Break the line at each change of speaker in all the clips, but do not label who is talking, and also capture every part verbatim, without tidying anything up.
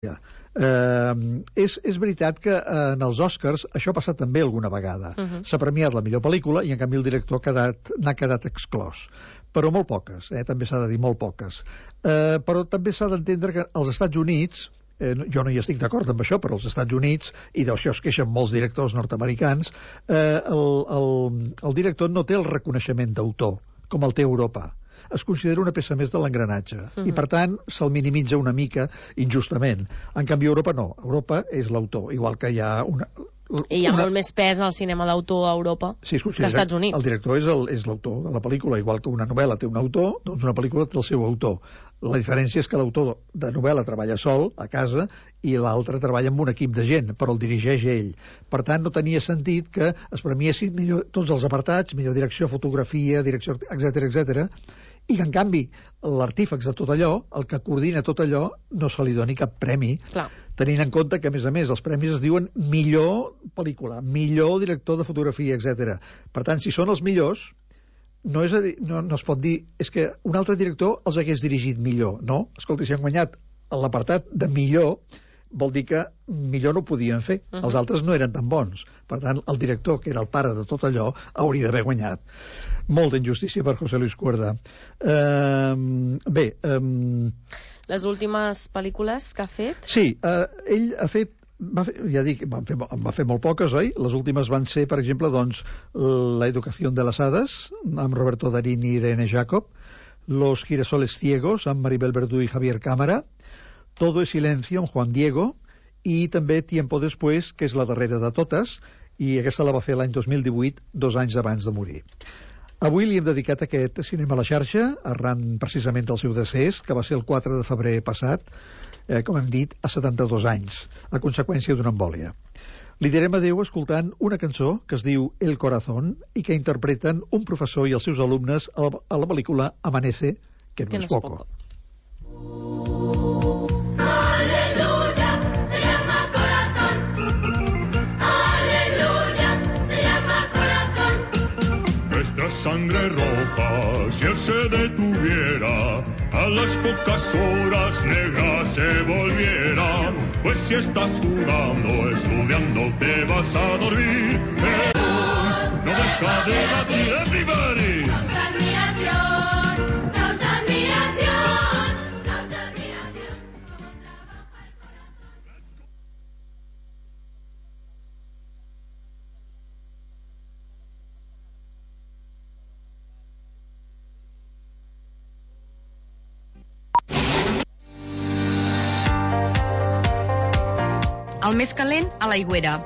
Eh, és, és veritat que eh, en els Oscars això ha passat també alguna vegada. Uh-huh. S'ha premiat la millor pel·lícula i en canvi el director ha quedat, n'ha quedat exclòs, però molt poques, eh? També s'ha de dir molt poques. Eh, però també s'ha d'entendre que als Estats Units, eh, jo no hi estic d'acord amb això, però als Estats Units, i d'això es queixen molts directors nord-americans, eh, el, el, el director no té el reconeixement d'autor com el té Europa. Es considera una peça més de l'engranatge. Uh-huh. I, per tant, se'l minimitza una mica injustament. En canvi, a Europa no. Europa és l'autor, igual que hi ha una...
I hi ha
una...
molt més pes al cinema d'autor a Europa
sí,
que als Estats Units.
El director és, el, és l'autor de la pel·lícula, igual que una novel·la té un autor, doncs una pel·lícula té el seu autor. La diferència és que l'autor de novel·la treballa sol, a casa, i l'altre treballa amb un equip de gent, però el dirigeix ell. Per tant, no tenia sentit que es premiessin millor tots els apartats, millor direcció, fotografia, direcció, etcètera, etcètera, i que, en canvi, l'artífex de tot allò, el que coordina tot allò, no se li doni cap premi. Clar. Tenint en compte que, a més a més, els premis es diuen millor pel·lícula, millor director de fotografia, etcètera. Per tant, si són els millors, no, és a dir, no, no es pot dir és que un altre director els hagués dirigit millor. No, escolta, si han guanyat l'apartat de millor, vol dir que millor no ho podien fer. Uh-huh. Els altres no eren tan bons. Per tant, el director, que era el pare de tot allò, hauria d'haver guanyat. Molta injustícia per José Luis Cuerda. Uh, bé... Um...
Les últimes pel·lícules que ha fet?
Sí, uh, ell ha fet Va fer, ja dic, va fer, va fer molt poques, oi? Les últimes van ser, per exemple, doncs, La educació de les hades, amb Roberto Darín i Irene Jacob, Los girasoles ciegos, amb Maribel Verdú i Javier Cámara, Todo es silencio, amb Juan Diego, i també Tiempo después, que és la darrera de totes, i aquesta la va fer l'any dos mil divuit, dos anys abans de morir. Avui li hem dedicat aquest Cinema a la xarxa, arran precisament del seu decés, que va ser el quatre de febrer passat, eh, com hem dit, a setanta-dos anys, a conseqüència d'una embòlia. Li direm adéu escoltant una cançó que es diu El Corazón i que interpreten un professor i els seus alumnes a la, a la pel·lícula Amanece, que no, que no és poco. poco.
Sangre roja, si él se detuviera, a las pocas horas negra se volviera. Pues si estás jugando, estudiando, te vas a dormir. Pero no deja de latir everybody. Causa admiración, causa admiración, causa admiración.
El més calent, a l'aigüera.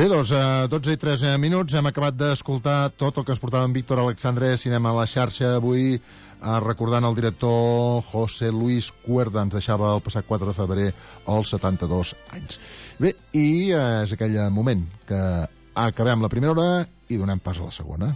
Bé, doncs, a dotze i tres minuts hem acabat d'escoltar tot el que ens portava en Víctor Alexandre, Cinema a la xarxa, avui eh, recordant el director José Luis Cuerda, ens deixava el passat quatre de febrer als setanta-dos anys. Bé, i eh, és aquell moment que acabem la primera hora i donem pas a la segona.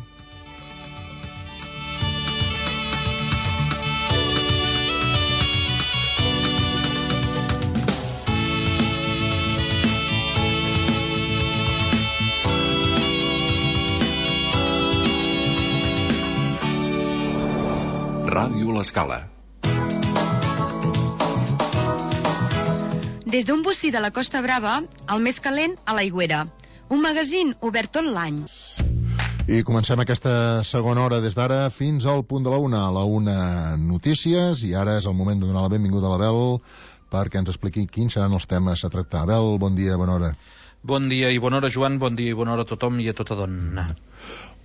Ràdio L'Escala.
Des d'un bocí de la Costa Brava, el més calent a l'aigüera. Un magazín obert tot l'any.
I comencem aquesta segona hora des d'ara fins al punt de la una. A la una notícies, i ara és el moment de donar la benvinguda a l'Abel perquè ens expliqui quins seran els temes a tractar. Abel, bon dia, bona hora.
Bon dia i bona hora, Joan, bon dia i bona hora a tothom i a tota dona.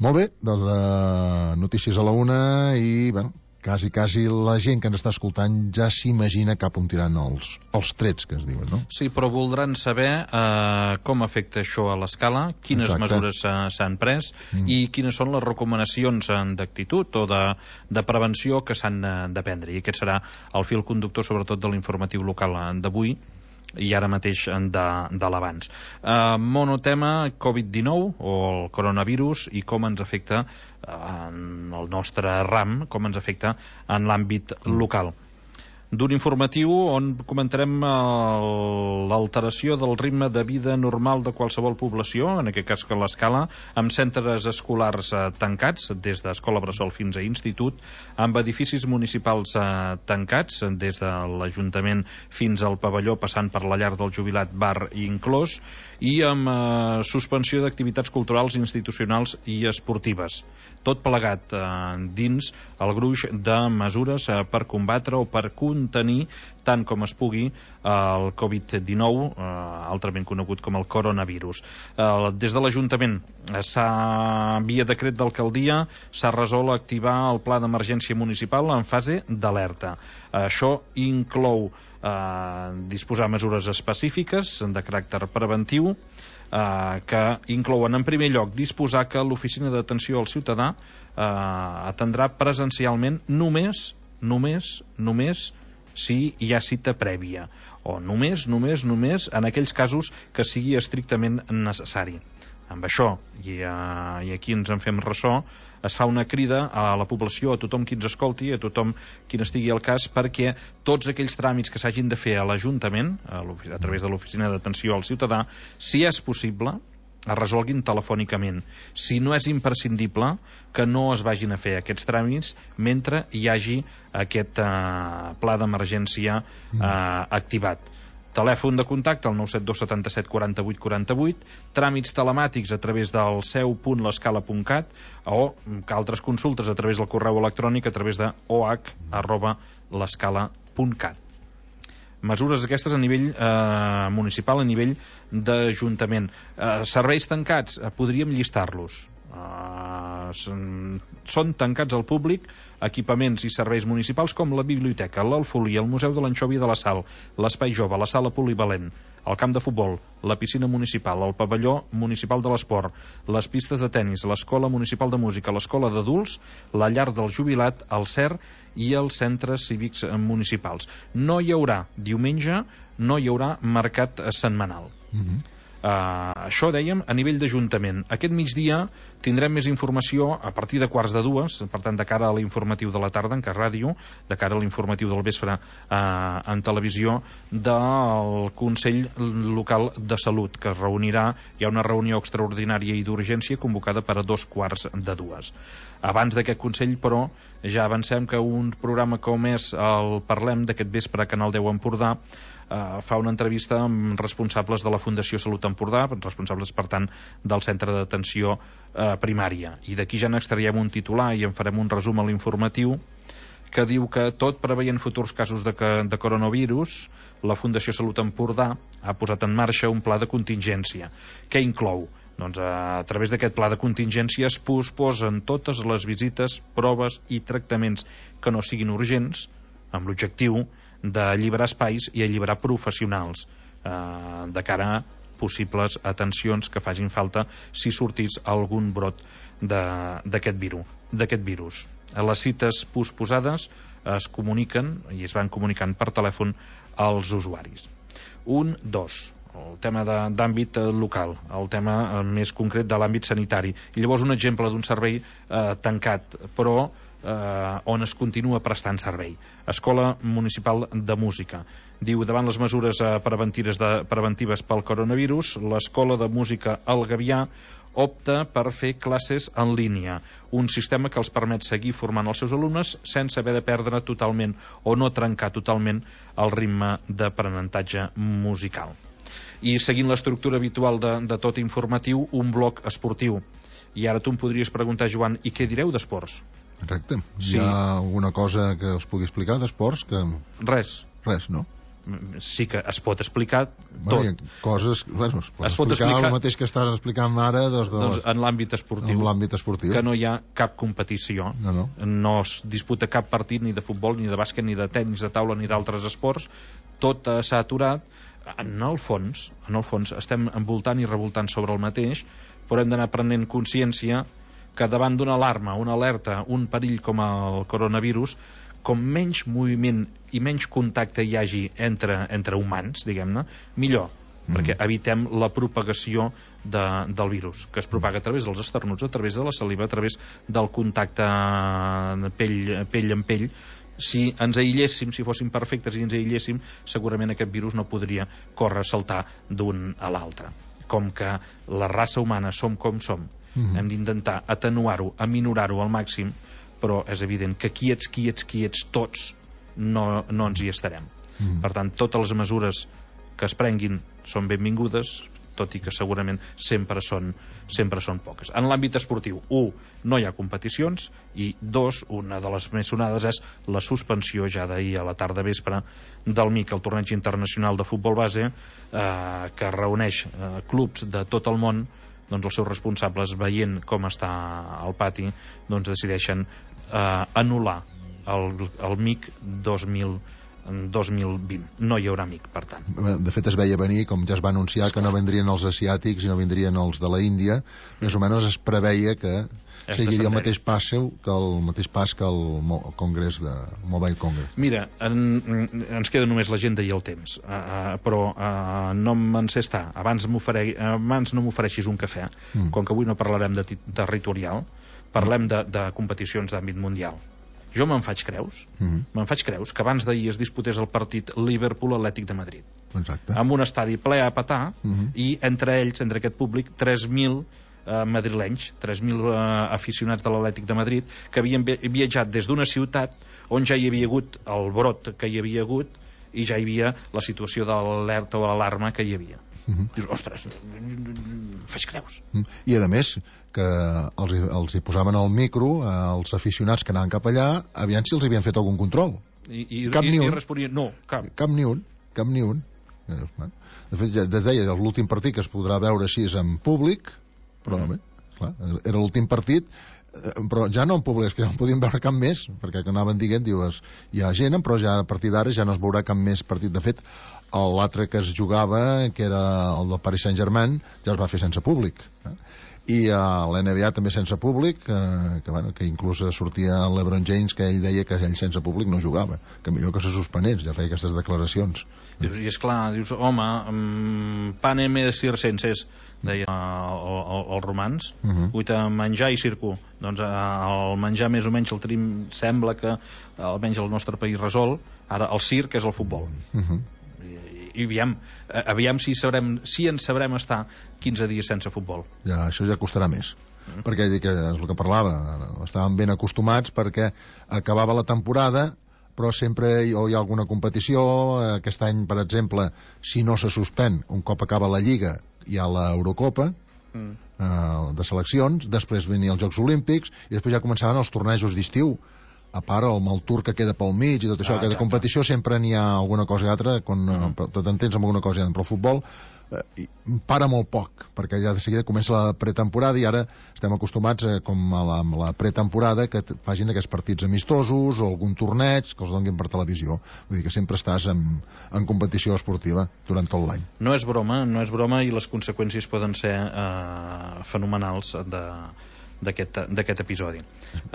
Molt bé, doncs uh, notícies a la una i, bueno, quasi, quasi la gent que ens està escoltant ja s'imagina cap on tiran els, els trets que es diuen, no?
Sí, però voldran saber eh, com afecta això a l'escala, quines
Exacte.
mesures s'han pres mm. i quines són les recomanacions d'actitud o de, de prevenció que s'han de prendre. I aquest serà el fil conductor, sobretot, de l'informatiu local d'avui i ara mateix de, de l'abans. Uh, monotema covid dinou o el coronavirus i com ens afecta uh, en el nostre ram, com ens afecta en l'àmbit local. D'un informatiu on comentarem l'alteració del ritme de vida normal de qualsevol població, en aquest cas que l'escala, amb centres escolars eh, tancats, des d'escola bressol fins a institut, amb edificis municipals eh, tancats, des de l'Ajuntament fins al pavelló, passant per la llar del jubilat, bar i inclòs, i amb eh, suspensió d'activitats culturals, institucionals i esportives. Tot plegat eh, dins el gruix de mesures eh, per combatre o per contenir tant com es pugui el covid dinou, eh, altrament conegut com el coronavirus. Eh, des de l'Ajuntament s'ha, via decret d'alcaldia, s'ha resolt activar el pla d'emergència municipal en fase d'alerta. Eh, això inclou eh, disposar mesures específiques de caràcter preventiu, eh, que inclouen en primer lloc disposar que l'oficina d'atenció al ciutadà eh, atendrà presencialment només, només, només si hi ha cita prèvia, o només, només, només en aquells casos que sigui estrictament necessari. Amb això, i, uh, i aquí ens en fem ressò, es fa una crida a la població, a tothom qui ens escolti, a tothom qui n'estigui al cas, perquè tots aquells tràmits que s'hagin de fer a l'Ajuntament, a, a través de l'Oficina d'Atenció al Ciutadà, si és possible, es resolguin telefònicament. Si no és imprescindible, que no es vagin a fer aquests tràmits mentre hi hagi aquest uh, pla d'emergència uh, activat. Telèfon de contacte al nou set dos setanta set quaranta-vuit quaranta-vuit, tràmits telemàtics a través del seu punt l'escala punt cat o altres consultes a través del correu electrònic a través de o h arroba l'escala punt cat. Mesures aquestes a nivell eh, municipal, a nivell d'Ajuntament. Eh, serveis tancats, eh, podríem llistar-los. Uh, són, són tancats al públic equipaments i serveis municipals com la biblioteca, l'Alfolí, el Museu de l'Anxovi i de la Sal, l'Espai Jove, la Sala Polivalent, el camp de futbol, la piscina municipal, el pavelló municipal de l'esport, les pistes de tennis, l'Escola Municipal de Música, l'Escola d'Adults, la Llar del Jubilat, el C E R i els centres cívics municipals. No hi haurà diumenge, no hi haurà mercat setmanal. Mm-hmm. Uh, això dèiem a nivell d'Ajuntament. Aquest migdia tindrem més informació a partir de quarts de dues, per tant de cara a l'informatiu de la tarda en Cas Ràdio, de cara a l'informatiu del vespre uh, en televisió, del Consell Local de Salut, que es reunirà, hi ha una reunió extraordinària i d'urgència convocada per a dos quarts de dues. Abans d'aquest Consell, però, ja avancem que un programa com és el Parlem d'aquest vespre a Canal deu Empordà Uh, fa una entrevista amb responsables de la Fundació Salut Empordà, responsables, per tant, del centre d'atenció uh, primària. I d'aquí ja n'extraiem un titular i en farem un resum a l'informatiu que diu que tot preveient futurs casos de, de coronavirus, la Fundació Salut Empordà ha posat en marxa un pla de contingència. Què inclou? Doncs a, a través d'aquest pla de contingència es posposen totes les visites, proves i tractaments que no siguin urgents, amb l'objectiu d'alliberar espais i alliberar professionals eh, de cara a possibles atencions que facin falta si sortís algun brot d'aquest virus, d'aquest virus. Les cites posposades es comuniquen i es van comunicant per telèfon als usuaris. Un, dos, el tema d'àmbit local, el tema més concret de l'àmbit sanitari. I llavors un exemple d'un servei eh, tancat, però Uh, on es continua prestant servei. Escola Municipal de Música. Diu, davant les mesures uh, preventives, de, preventives pel coronavirus, l'Escola de Música El Gavià opta per fer classes en línia, un sistema que els permet seguir formant els seus alumnes sense haver de perdre totalment o no trencar totalment el ritme d'aprenentatge musical. I seguint l'estructura habitual de, de tot informatiu, un bloc esportiu. I ara tu em podries preguntar, Joan, i què direu d'esports?
Correcte.
Sí.
Hi ha alguna cosa que us pugui explicar d'esports? Que...
Res.
Res, no?
sí que es pot explicar
bueno,
tot.
Coses, bueno, es pot,
es pot
explicar,
explicar
el mateix que estàs explicant ara doncs, de
doncs,
les...
en l'àmbit esportiu,
en l'àmbit esportiu,
que no hi ha cap competició,
no, no.
no es disputa cap partit ni de futbol, ni de bàsquet, ni de tenis de taula, ni d'altres esports, tot eh, s'ha aturat. En el fons, en el fons estem envoltant i revoltant sobre el mateix, però hem d'anar prenent consciència que davant d'una alarma, una alerta, un perill com el coronavirus, com menys moviment i menys contacte hi hagi entre, entre humans, diguem-ne, millor, mm. perquè evitem la propagació de, del virus, que es propaga a través dels esternuts, a través de la saliva, a través del contacte pell, pell amb pell. Si ens aïlléssim, si fóssim perfectes i ens aïlléssim, segurament aquest virus no podria córrer, saltar d'un a l'altre. Com que la raça humana som com som, mm-hmm. hem d'intentar atenuar-ho, aminorar-ho al màxim, però és evident que quiets, quiets, quiets, tots, no, no ens hi estarem. Mm. Per tant, totes les mesures que es prenguin són benvingudes, tot i que segurament sempre són, sempre són poques. En l'àmbit esportiu, un, no hi ha competicions, i dos, una de les més sonades és la suspensió ja d'ahir a la tarda vespre del M I C, el torneig internacional de futbol base, eh, que reuneix eh, clubs de tot el món. Doncs els seus responsables, veient com està el pati, doncs decideixen eh, anul·lar el, el M I C dos mil vint. No hi haurà M I C, per tant.
De fet, es veia venir, com ja es va anunciar, Esclar. que no vendrien els asiàtics i no vendrien els de la Índia. Més o menys es preveia que és seguiria el mateix pas seu, que el mateix pas que el, el Congrés de Mobile Congress.
Mira, en, ens queda només l'agenda i el temps, uh, uh, però uh, no me'n sé estar. Abans, abans no m'ofereixis un cafè, mm. com que avui no parlarem de territorial, parlem de, de competicions d'àmbit mundial. Jo me'n faig creus, mm-hmm. me'n faig creus que abans d'ahir es disputés el partit Liverpool-Atlètic de Madrid.
Exacte.
Amb un estadi ple a petar, mm-hmm. i entre ells, entre aquest públic, tres mil eh, madrilenys, tres mil eh, aficionats de l'Atlètic de Madrid, que havien viatjat des d'una ciutat on ja hi havia hagut el brot que hi havia hagut i ja hi havia la situació de l'alerta o l'alarma que hi havia. Uh-huh. Dius, ostres, faig creus.
I a més que els, els hi posaven al micro als aficionats que anaven cap allà, aviam si els havien fet algun control.
I, i,
cap
i,
ni un.
I responien, no, cap.
Cap ni un, cap ni un. De fet, ja es deia, l'últim partit que es podrà veure així és en públic, però mm. bé, clar, era l'últim partit, però ja no en públic, és que no en podíem veure cap més, perquè que anaven dient, dius, hi ha gent, però ja a partir d'ara ja no es veurà cap més partit. De fet, l'altre que es jugava, que era el del Paris Saint-Germain, ja es va fer sense públic. Eh? I a l'N B A també sense públic, eh, que, bueno, que inclús sortia el LeBron James, que ell deia que ell sense públic no jugava, que millor que se suspenés, ja feia aquestes declaracions.
Dius, i esclar, dius, home, um, panem de circenses, deia els romans, uh -huh. uita menjar i circo. Doncs el menjar més o menys el tenim, sembla que almenys el nostre país resol. Ara el circ és el futbol. Uh -huh. I aviam, aviam si, sabrem, si en sabrem estar quinze dies sense futbol.
Ja, això ja costarà més. Mm. Perquè dic, és el que parlava, estàvem ben acostumats perquè acabava la temporada, però sempre hi, hi ha alguna competició. Aquest any, per exemple, si no se suspèn, un cop acaba la Lliga, hi ha l'Eurocopa, mm. eh, de seleccions, després venia els Jocs Olímpics, i després ja començaven els tornejos d'estiu. A part el mal tour que queda pel mig i tot això, ah, cada competició sempre n'hi ha alguna cosa i altra, quan mm. t'entens amb alguna cosa i altra, però el futbol eh, para molt poc, perquè ja de seguida comença la pretemporada i ara estem acostumats eh, com a la, la pretemporada que facin aquests partits amistosos o algun torneig que els donguin per televisió. Vull dir que sempre estàs en, en competició esportiva durant tot l'any.
No és broma, no és broma, i les conseqüències poden ser eh, fenomenals de d'aquest episodi.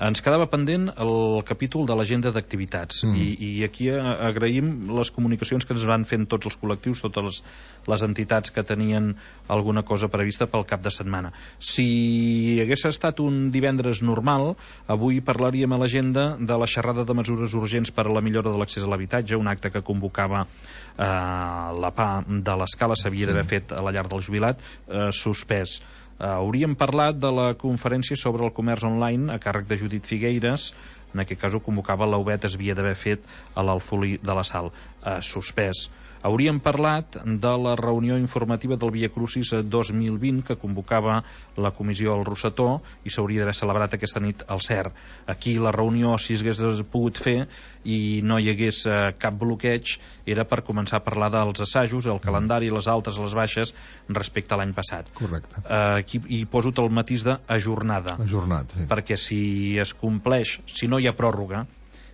Ens quedava pendent el capítol de l'agenda d'activitats, mm. i, i aquí agraïm les comunicacions que ens van fent tots els col·lectius, totes les, les entitats que tenien alguna cosa prevista pel cap de setmana. Si hagués estat un divendres normal, avui parlaríem a l'agenda de la xerrada de mesures urgents per a la millora de l'accés a l'habitatge, un acte que convocava eh, la P A de l'Escala, s'havia d'haver fet a la llar del jubilat, eh, suspès. Uh, hauríem parlat de la conferència sobre el comerç online a càrrec de Judit Figueires, en aquest cas ho convocava l'Aubet, es havia d'haver fet a l'Alfolí de la Sal, eh, suspès. Hauríem parlat de la reunió informativa del Via Crucis dos mil vint que convocava la comissió al Rossetó i s'hauria d'haver celebrat aquesta nit al C E R. Aquí la reunió, si s'hagués pogut fer i no hi hagués eh, cap bloqueig, era per començar a parlar dels assajos, el calendari, les altes, les baixes, respecte a l'any passat.
Correcte.
Eh, aquí hi poso el matís d'ajornada.
Ajornat, sí.
Perquè si es compleix, si no hi ha pròrroga,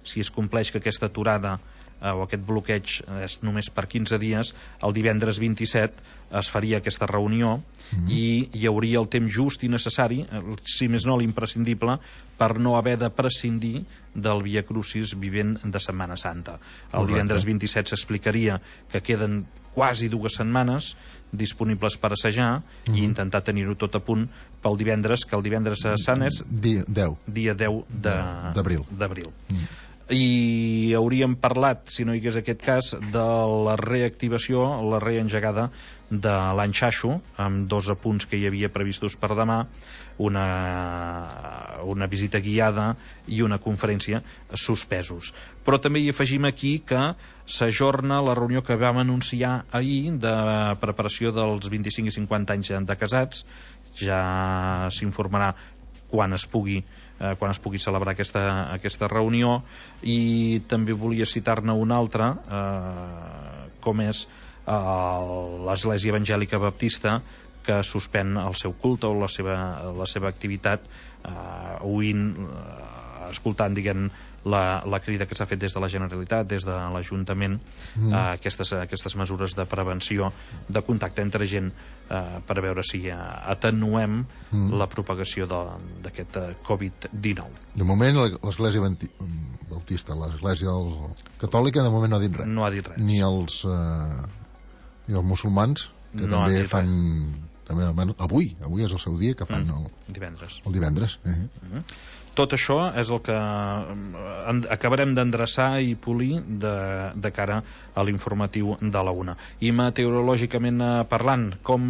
si es compleix que aquesta aturada eh, o aquest bloqueig és només per quinze dies, el divendres vint-i-set es faria aquesta reunió mm. i hi hauria el temps just i necessari, si més no l'imprescindible, per no haver de prescindir del Via Crucis vivent de Setmana Santa. El
Correcte.
Divendres vint-i-set s'explicaria que queden quasi dues setmanes disponibles per assajar mm. i intentar tenir-ho tot a punt pel divendres, que el divendres sant és
dia deu,
dia deu d'abril. Mm. I hauríem parlat, si no hi hagués aquest cas, de la reactivació, la reengegada de l'any Xaixo, amb dos apunts que hi havia previstos per demà, una, una visita guiada i una conferència suspesos. Però també hi afegim aquí que s'ajorna la reunió que vam anunciar ahir de preparació dels vint-i-cinc i cinquanta anys de casats. Ja s'informarà quan es pugui eh, quan es pugui celebrar aquesta, aquesta reunió, i també volia citar-ne una altra, eh, com és eh, l'Església Evangèlica Baptista, que suspèn el seu culte o la seva, la seva activitat, eh, oint, eh, escoltant, diguem, la, la crida que s'ha fet des de la Generalitat, des de l'Ajuntament, mm. eh, aquestes, aquestes mesures de prevenció de contacte entre gent, eh, per veure si eh, atenuem mm. la propagació d'aquest covid dinou.
De moment l'Església Bautista, l'Església Catòlica, de moment no ha dit res.
No ha dit res.
Ni els, eh, ni els musulmans, que
no
també fan... També, bueno, avui, avui és el seu dia, que fan mm. el
divendres.
El divendres. Eh?
Mm-hmm. Tot això és el que acabarem d'endreçar i polir de, de cara a l'informatiu de la una. I meteorològicament parlant, com,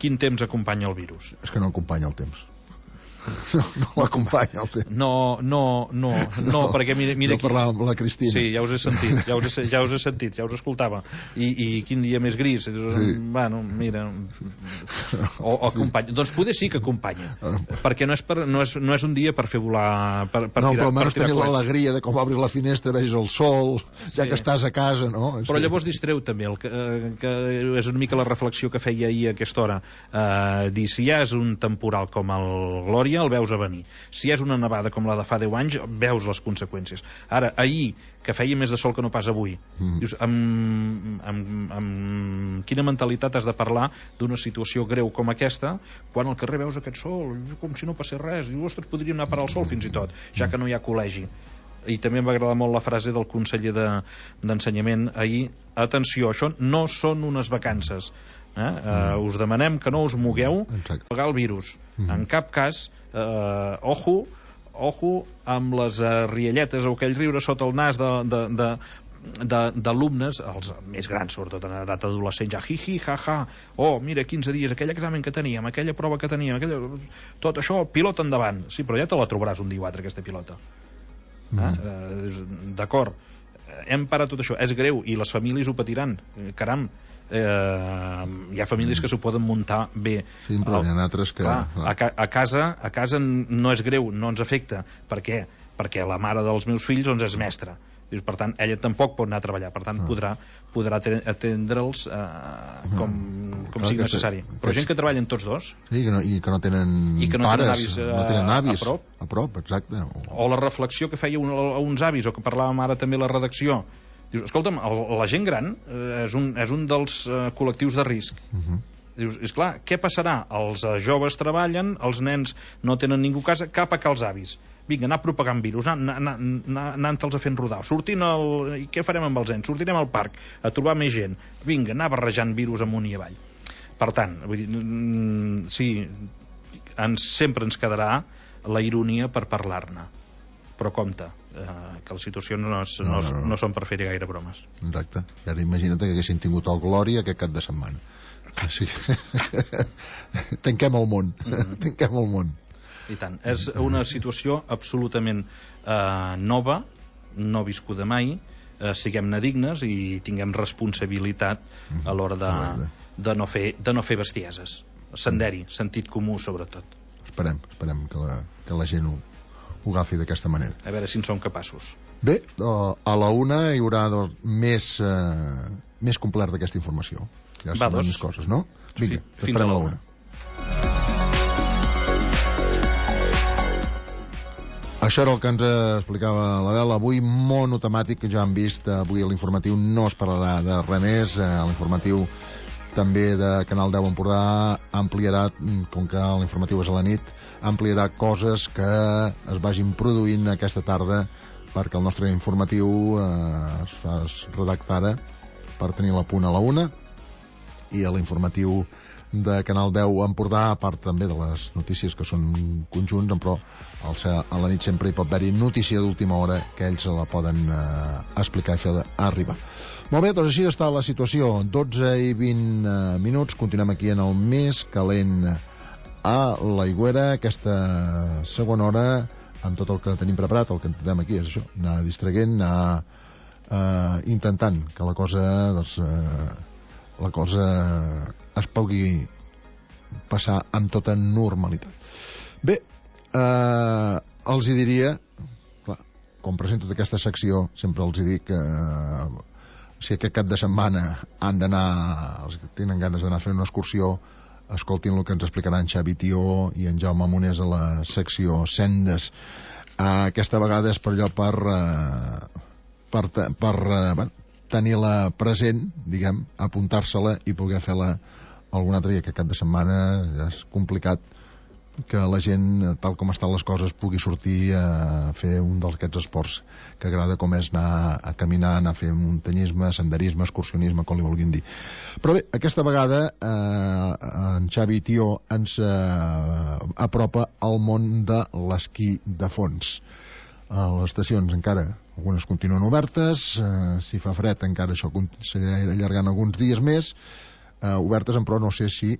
quin temps acompanya el virus?
És que no acompanya el temps. No, no l'acompanya el temps.
No, no, no, no, no, perquè mira, mira
jo parlava amb la Cristina.
Sí, ja us he sentit, ja us he, ja us he sentit, ja us escoltava. I, i quin dia més gris. Sí. Bueno, mira, o, o acompanya. Doncs poder sí que acompanya, perquè no és, per, no és, no és un dia per fer volar, per, per
no,
tirar,
però almenys
per
tenir l'alegria de com obrir la finestra, vegis el sol, ja sí. que estàs a casa, no? És
però
que...
llavors distreu també, el que, que és una mica la reflexió que feia ahir a aquesta hora. Uh, dir, si ja és un temporal com el Glòria, el veus a venir. Si és una nevada com la de fa deu anys, veus les conseqüències. Ara, ahir, que feia més de sol que no pas avui, mm. dius, amb, amb, amb quina mentalitat has de parlar d'una situació greu com aquesta, quan al carrer veus aquest sol, com si no passés res, dius, ostres, podríem anar a parar el sol fins i tot, ja que no hi ha col·legi. I també em va agradar molt la frase del conseller d'Ensenyament de, ahir, atenció, això no són unes vacances, eh? Mm. Uh, us demanem que no us mogueu per pagar el virus. Mm. En cap cas, eh, ojo, ojo amb les uh, rialletes o aquell riure sota el nas de, de, de d'alumnes, els més grans sobretot en edat adolescent, ja hi hi ha ha, oh mira quinze dies, aquell examen que teníem, aquella prova que teníem, aquella... tot això, pilota endavant. Sí, però ja te la trobaràs un dia o altre, aquesta pilota. Mm. Eh? Eh, d'acord, hem parat tot això, és greu i les famílies ho patiran, caram. Eh, hi ha famílies que s'ho poden muntar bé.
Sí, però n'hi ha altres que...
Clar, a, ca a, casa, a casa no és greu, no ens afecta. Per què? Perquè la mare dels meus fills doncs, és mestra. Per tant, ella tampoc pot anar a treballar. Per tant, ah. podrà, podrà atendre'ls eh, com, com sigui necessari. Però aquests... gent que treballen tots dos...
Sí, que no, i que no tenen
i que no
pares,
tenen avis, a,
no tenen avis
a prop.
A prop, exacte. O...
o la reflexió que feia un, uns avis, o que parlàvem ara també a la redacció. Dius, escolta'm, el, la gent gran eh, és, un, és un dels eh, col·lectius de risc. Uh -huh. Dius, esclar, què passarà? Els eh, joves treballen, els nens no tenen ningú a casa, cap a que els avis. Vinga, anar propagant virus, anant-te'ls a fent rodar. Sortint el... I què farem amb els nens? Sortirem al parc a trobar més gent. Vinga, anar barrejant virus amunt i avall. Per tant, vull dir, mm, sí, ens, sempre ens quedarà la ironia per parlar-ne. Però compte, eh, que les situacions no, es, no, no, no, no. no són per fer gaire bromes.
Exacte. I ara imagina't que haguessin tingut el Glòria aquest cap de setmana. Sí. Tanquem el món. Mm-hmm. Tanquem el món.
I tant. És una situació absolutament eh, nova, no viscuda mai, eh, siguem-ne dignes i tinguem responsabilitat a l'hora de, de, no fer, de no fer bestieses. Senderi, sentit comú, sobretot.
Esperem, esperem que la, que la gent ho, ho agafi d'aquesta manera.
A veure si en som capaços.
Bé, a la una hi haurà doncs, més, eh, més complert d'aquesta informació. Ja sabran més coses, no? Vinga, sí, fins a la una. Això era el que ens explicava l'Adel. Avui monotemàtic, que ja hem vist, avui a l'informatiu no es parlarà de res més. A l'informatiu també de Canal deu Empordà ampliarà, com que l'informatiu és a la nit, ampliarà coses que es vagin produint aquesta tarda, perquè el nostre informatiu eh, es fa redactar per tenir la punt a la una, i a l'informatiu de Canal deu Empordà, a part també de les notícies que són conjunts, però a la nit sempre hi pot haver-hi notícia d'última hora que ells la poden eh, explicar i fer arribar. Molt bé, doncs així està la situació. dotze i vint eh, minuts, continuem aquí en el més calent a l'Aigüera, aquesta segona hora, amb tot el que tenim preparat. El que intentem aquí és això, anar distraient, anar eh, intentant que la cosa doncs, eh, la cosa es pugui passar amb tota normalitat. Bé, eh, els hi diria, clar, com presento aquesta secció, sempre els hi dic que eh, si aquest cap de setmana han d'anar, els que tenen ganes d'anar a fer una excursió, escoltin el que ens explicaran Xavi Tió i en Jaume Monés a la secció Sendes. Eh, aquesta vegada és per allò per eh, per, per eh, bueno, tenir-la present, diguem, apuntar-se-la i poder fer-la algun altre dia, que cap de setmana ja és complicat que la gent, tal com estan les coses, pugui sortir a fer un d'aquests esports que agrada, com és anar a caminar, anar a fer muntanyisme, senderisme, excursionisme, com li vulguin dir. Però bé, aquesta vegada eh, en Xavi Tió ens eh, apropa al món de l'esquí de fons. A les estacions encara algunes continuen obertes, eh, si fa fred encara això seguirà allargant alguns dies més, eh, obertes, però no sé si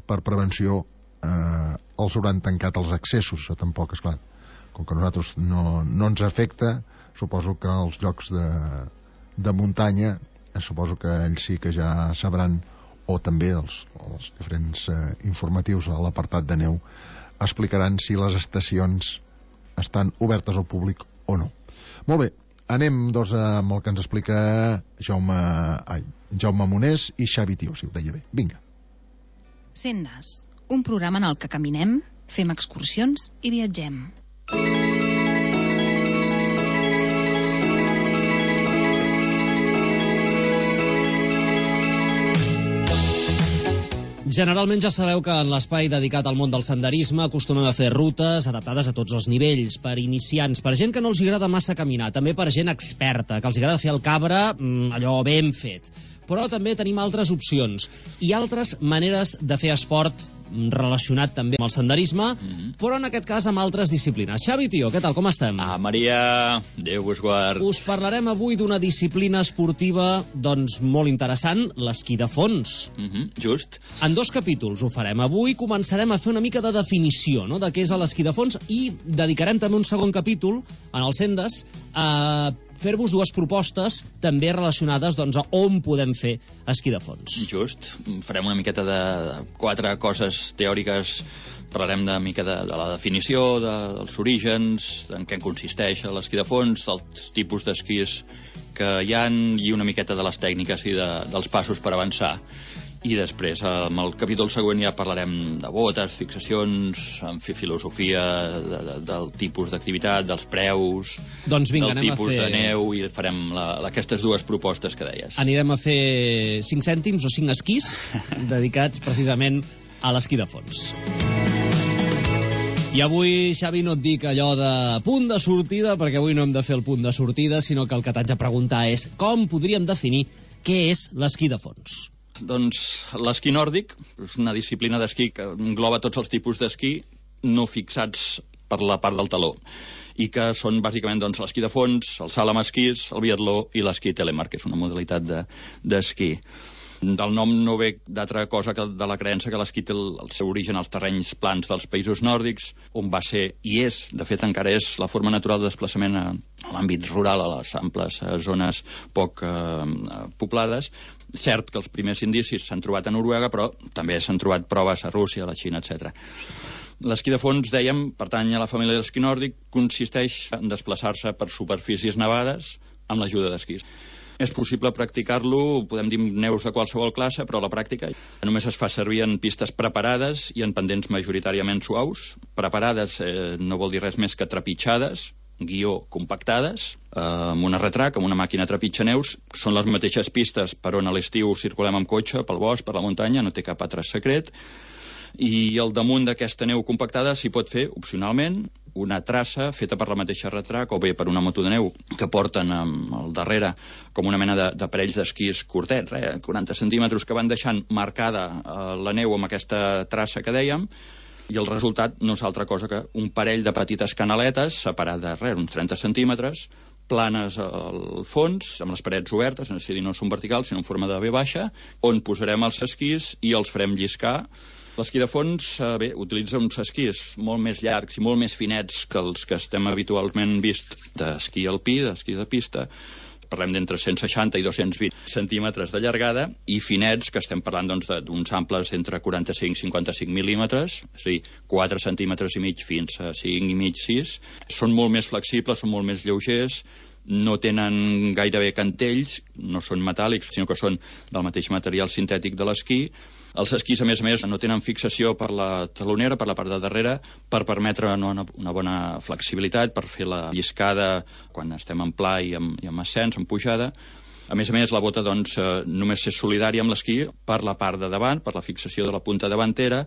per prevenció eh, els hauran tancat els accessos. Això tampoc, esclar, com que a nosaltres no, no ens afecta, suposo que els llocs de, de muntanya, eh, suposo que ells sí que ja sabran, o també els, els diferents eh, informatius a l'apartat de neu explicaran si les estacions estan obertes al públic o no. Molt bé, anem doncs amb el que ens explica Jaume, ai, Jaume Monés i Xavi Tió, si ho deia bé. Vinga.
Sendes, un programa en el que caminem, fem excursions i viatgem.
Generalment ja sabeu que en l'espai dedicat al món del senderisme acostumem a fer rutes adaptades a tots els nivells, per iniciants, per gent que no els agrada massa caminar, també per gent experta, que els agrada fer el cabra allò ben fet. Però també tenim altres opcions i altres maneres de fer esport relacionat també amb el senderisme, mm-hmm. però en aquest cas amb altres disciplines. Xavi Tió, què tal, com estem?
Ah, Maria, Déu vos guard.
Us parlarem avui d'una disciplina esportiva doncs molt interessant, l'esquí de fons.
Mm-hmm, just.
En dos capítols ho farem. Avui començarem a fer una mica de definició, no?, de què és l'esquí de fons, i dedicarem també un segon capítol, en els Sendes, a fer-vos dues propostes també relacionades doncs, a on podem fer esquí de fons.
Just. Farem una miqueta de quatre coses teòriques. Parlarem una mica de, de la definició, de, dels orígens, en què consisteix l'esquí de fons, dels tipus d'esquís que hi ha i una miqueta de les tècniques i de, dels passos per avançar. I després, amb el capítol següent, ja parlarem de botes, fixacions, en fi, filosofia de, de, del tipus d'activitat, dels preus,
doncs vinga,
del tipus fer... de neu, i farem la, aquestes dues propostes que deies.
Anirem a fer cinc cèntims o cinc esquís dedicats precisament a l'esquí de fons. I avui, Xavi, no et dic allò de punt de sortida, perquè avui no hem de fer el punt de sortida, sinó que el que t'haig de preguntar és com podríem definir què és l'esquí de fons.
Doncs l'esquí nòrdic és una disciplina d'esquí que engloba tots els tipus d'esquí no fixats per la part del taló, i que són bàsicament doncs, l'esquí de fons, el salt amb esquís, el biatló i l'esquí telemark, que és una modalitat d'esquí. De, Del nom no ve d'altra cosa que de la creença que l'esquí té el, el seu origen als terrenys plans dels països nòrdics, on va ser, i és, de fet encara és, la forma natural de desplaçament a, a l'àmbit rural, a les amples a zones poc eh, poblades. Cert que els primers indicis s'han trobat a Noruega, però també s'han trobat proves a Rússia, a la Xina, etcètera. L'esquí de fons, dèiem, pertany a la família de l'esquí nòrdic, consisteix en desplaçar-se per superfícies nevades amb l'ajuda d'esquís. És possible practicar-lo, podem dir neus de qualsevol classe, però a la pràctica només es fa servir en pistes preparades i en pendents majoritàriament suaus. Preparades eh, no vol dir res més que trepitjades, guió compactades, eh, amb una retrac, amb una màquina trepitja neus. Són les mateixes pistes per on a l'estiu circulem amb cotxe, pel bosc, per la muntanya, no té cap altre secret. I al damunt d'aquesta neu compactada s'hi pot fer, opcionalment, una traça feta per la mateixa retrac o bé per una moto de neu que porten al darrere com una mena de, de parells d'esquís curtets, eh, quaranta centímetres, que van deixant marcada eh, la neu amb aquesta traça que dèiem, i el resultat no és altra cosa que un parell de petites canaletes separades, res, uns trenta centímetres, planes al fons, amb les parets obertes, és a dir, no són verticals, sinó en forma de V baixa, on posarem els esquís i els farem lliscar. L'esquí de fons, eh, bé, utilitza uns esquís molt més llargs i molt més finets que els que estem habitualment vist d'esquí alpí, d'esquí de pista. Parlem d'entre cent seixanta i dos-cents vint centímetres de llargada, i finets, que estem parlant doncs, d'uns amples entre quaranta-cinc i cinquanta-cinc mil·límetres, és a dir, quatre centímetres i mig fins a cinc i mig, sis. Són molt més flexibles, són molt més lleugers, no tenen gairebé cantells, no són metàl·lics, sinó que són del mateix material sintètic de l'esquí. Els esquís, a més a més, no tenen fixació per la talonera, per la part de darrere, per permetre una, una bona flexibilitat, per fer la lliscada quan estem en pla i en, i en ascens, en pujada. A més a més, la bota doncs, només és solidària amb l'esquí per la part de davant, per la fixació de la punta davantera,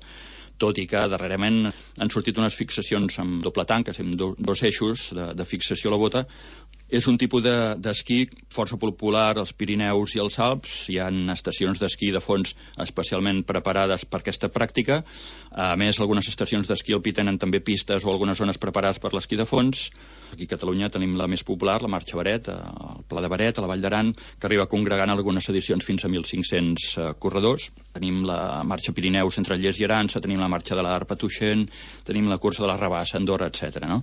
tot i que darrerament han sortit unes fixacions amb doble tanca, amb do, dos eixos de, de fixació a la bota. És un tipus d'esquí de, força popular als Pirineus i als Alps. Hi ha estacions d'esquí de fons especialment preparades per aquesta pràctica. A més, algunes estacions d'esquí alpí tenen també pistes o algunes zones preparades per l'esquí de fons. Aquí a Catalunya tenim la més popular, la Marxa Baret, al Pla de Baret, a la Vall d'Aran, que arriba congregant algunes edicions fins a mil cinc-cents uh, corredors. Tenim la Marxa Pirineus entre Llers i Arança, tenim la Marxa de l'Arpa Tuixent, tenim la Cursa de la Rabassa, Andorra, etcètera, no?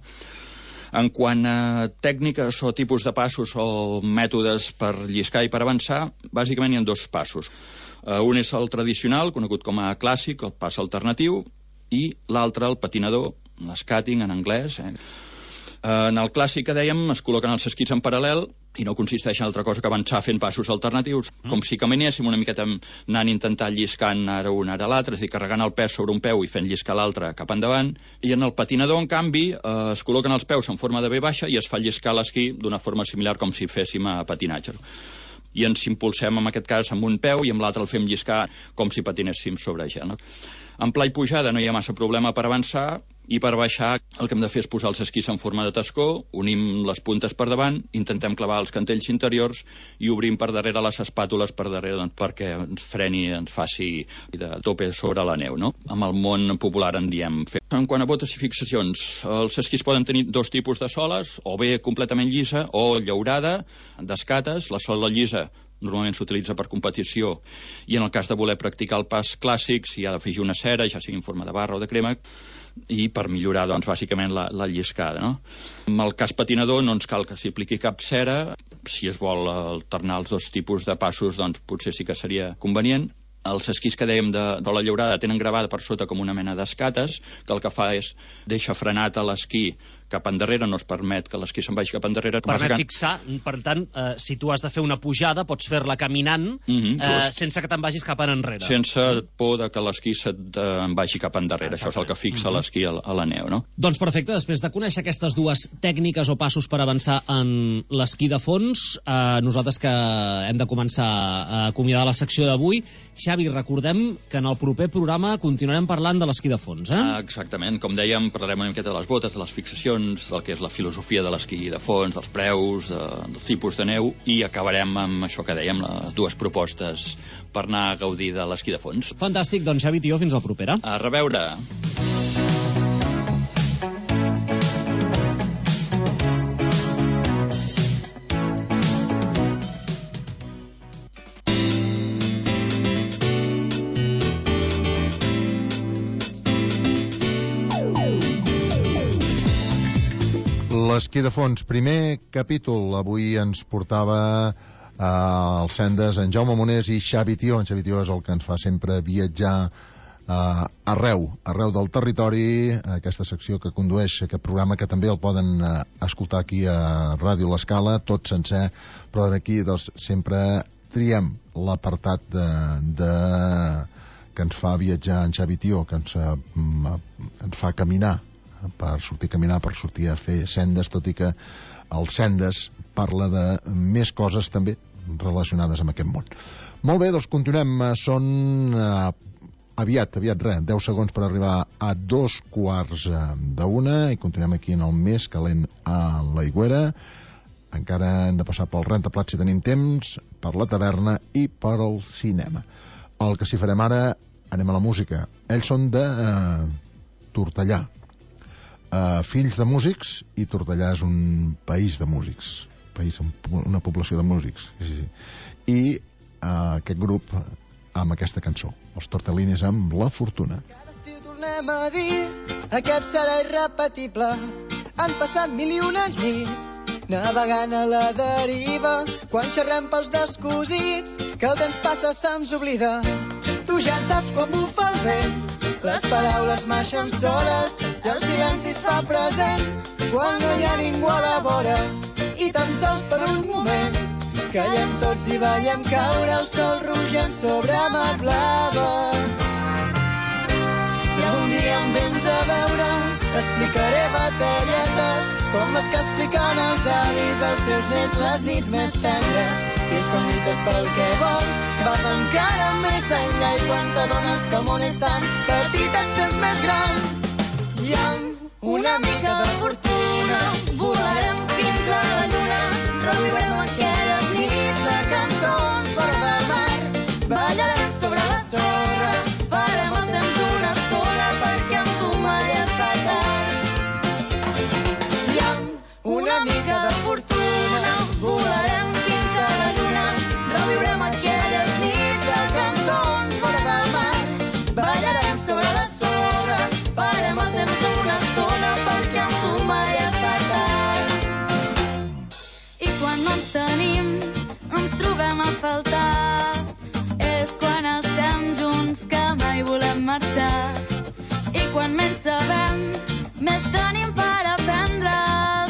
En quant a tècniques o tipus de passos o mètodes per lliscar i per avançar, bàsicament hi ha dos passos. Uh, un és el tradicional, conegut com a clàssic, el pas alternatiu, i l'altre, el patinador, l'escàting en anglès. Eh? Uh, en el clàssic que dèiem, es col·loquen els esquís en paral·lel i no consisteix en altra cosa que avançar fent passos alternatius, mm. com si caminéssim una miqueta anant intentant lliscant ara un, ara l'altre, és a dir, carregant el pes sobre un peu i fent lliscar l'altre cap endavant. I en el patinador, en canvi, eh, es col·loquen els peus en forma de V baixa i es fa lliscar l'esquí d'una forma similar com si féssim a patinatge. I ens impulsem, en aquest cas, amb un peu i amb l'altre el fem lliscar com si patinéssim sobre gel. No? En pla i pujada no hi ha massa problema per avançar, i per baixar el que hem de fer és posar els esquís en forma de tascó, unim les puntes per davant, intentem clavar els cantells interiors i obrim per darrere les espàtules per darrere, doncs, perquè ens freni, ens faci de tope sobre la neu, no? Amb el món popular en diem fer. En quant a botes i fixacions, els esquís poden tenir dos tipus de soles, o bé completament llisa o llaurada, d'escates. La sola llisa normalment s'utilitza per competició i en el cas de voler practicar el pas clàssic s'hi ha d'afegir una cera, ja sigui en forma de barra o de crema, i per millorar, doncs, bàsicament la, la lliscada, no? En el cas patinador no ens cal que s'hi apliqui cap cera. Si es vol alternar els dos tipus de passos, doncs potser sí que seria convenient. Els esquís que dèiem de, de la llaurada tenen gravada per sota com una mena d'escates, que el que fa és deixa frenat a l'esquí cap endarrere, no es permet que l'esquí se'n vagi cap endarrere.
Permet que... fixar, per tant, eh, si tu has de fer una pujada, pots fer-la caminant, mm-hmm, eh, sense que te'n vagis cap enrere.
Sense por de que l'esquí se't eh, vagi cap endarrere. Exacte. Això és el que fixa mm-hmm. l'esquí a, a la neu, no?
Doncs perfecte, després de conèixer aquestes dues tècniques o passos per avançar en l'esquí de fons, eh, nosaltres que hem de començar a acomiadar la secció d'avui, Xavi, recordem que en el proper programa continuarem parlant de l'esquí de fons, eh?
Ah, exactament. Com dèiem, parlarem una miqueta de les botes, de les fixacions, del que és la filosofia de l'esquí de fons, dels preus, de, dels tipus de neu, i acabarem amb això que dèiem, les dues propostes per anar a gaudir de l'esquí de fons.
Fantàstic, doncs Xavi Tió, fins al propera.
A reveure.
Esquí de fons, primer capítol. Avui ens portava eh, els sendes en Jaume Monés i Xavi Tió. En Xavi Tió és el que ens fa sempre viatjar eh, arreu, arreu del territori, aquesta secció que condueix aquest programa, que també el poden eh, escoltar aquí a Ràdio L'Escala, tot sencer, però d'aquí doncs, sempre triem l'apartat de, de... que ens fa viatjar en Xavi Tió, que ens, eh, ens fa caminar, per sortir a caminar, per sortir a fer sendes, tot i que el sendes parla de més coses també relacionades amb aquest món. Molt bé, doncs continuem. Són eh, aviat, aviat res, deu segons per arribar a dos quarts d'una i continuem aquí en el més calent a l'Aigüera. Encara hem de passar pel rentaplats si tenim temps, per la taverna i per al cinema. El que sí farem ara, anem a la música. Ells són de eh, Tortellà. Uh, fills de músics, i Tortellà és un país de músics, país, una població de músics, sí, sí. I uh, aquest grup amb aquesta cançó, els Tortellines amb La Fortuna.
Cada estiu tornem a dir, aquest serà irrepetible. Han passat mil i una nits navegant a la deriva, quan xerrem pels descosits, que el temps passa se'ns oblida. Tu ja saps quan bufa el vent, les paraules marxen soles i el silenci es fa present quan no hi ha ningú a la vora, i tan sols per un moment callem tots i veiem caure el sol rogent sobre mà blava. Si algun dia em vens a veure, t'explicaré batalletes com les que expliquen els avis als seus nets les nits més tendres. I és quan lluites pel que vols, vas encara més enllà, i quan t'adones que el món és tan petit et sents més gran. I amb una mica de fortuna volarem fins a la lluna, reviurem aquelles nits de cançons fora del mar, ballarem sobre la sorra, farem el temps d'una estona perquè amb tu mai està tard. I amb una mica de fortuna volarem fins a la lluna, reviurem aquelles nits de cançons fora del mar, ballarem sobre la sorra, farem el temps d'una estona perquè amb tu mai està tard. I quan no ens tenim, ens trobem a faltar, és quan estem junts que mai volem marxar. I quan menys sabem, més tenim per aprendre,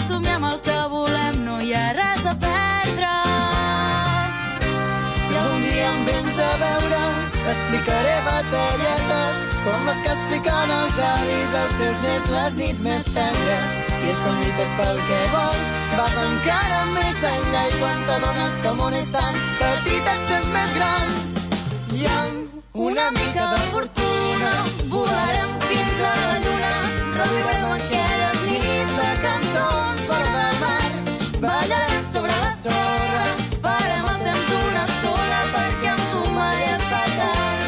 somiem el que volem, no hi ha res a perdre. Si algun dia em vens a veure, t'explicaré batalletes com les que expliquen els avis als seus nets les nits més tendres. I és quan lluites pel que vols, vas encara més enllà, i quan t'adones que el món és tan petit et sents més gran. I amb una mica de fortuna volarem fins a la lluna, reviurem aquelles nits de cançons fora del mar, ballarem sobre la sorra, farem el temps d'una estona perquè amb tu mai està tard.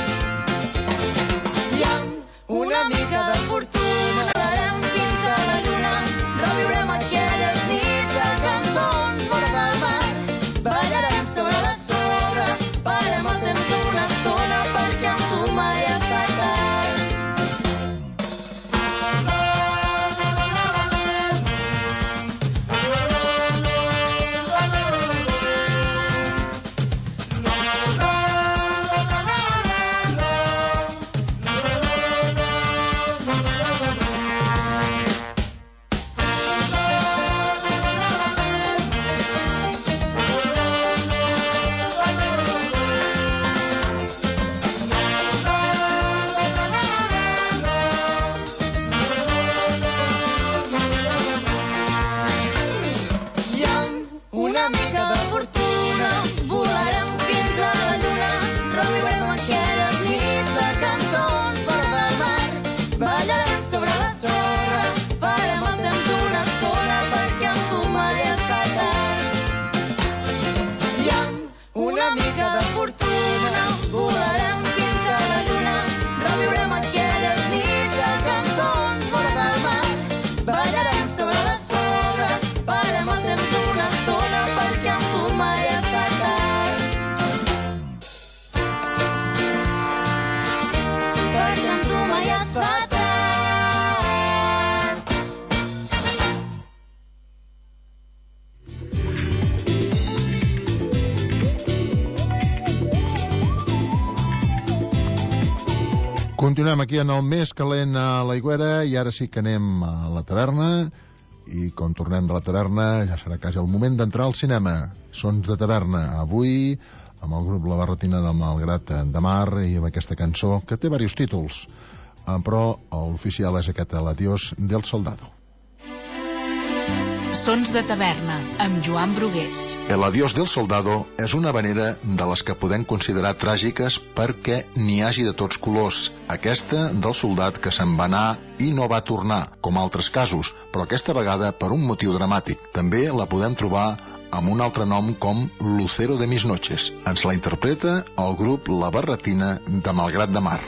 I amb una mica de fortuna volarem fins a la lluna, reviurem aquelles nits de cançons fora del mar, ballarem sobre la sorra, farem
Continuem aquí en el més calent a l'Aigüera i ara sí que anem a la taverna i com tornem de la taverna ja serà quasi el moment d'entrar al cinema. Sons de taverna avui amb el grup La Barretina del Malgrat de Mar i amb aquesta cançó que té diversos títols, però l'oficial és aquest, l'Adiós del Soldado.
Sons de taverna, amb Joan Brugués.
El Adiós del Soldado és una habanera de les que podem considerar tràgiques perquè n'hi hagi de tots colors. Aquesta del soldat que se'n va anar i no va tornar, com altres casos, però aquesta vegada per un motiu dramàtic. També la podem trobar amb un altre nom com Lucero de mis noches. Ens la interpreta el grup La Barretina de Malgrat de Mar.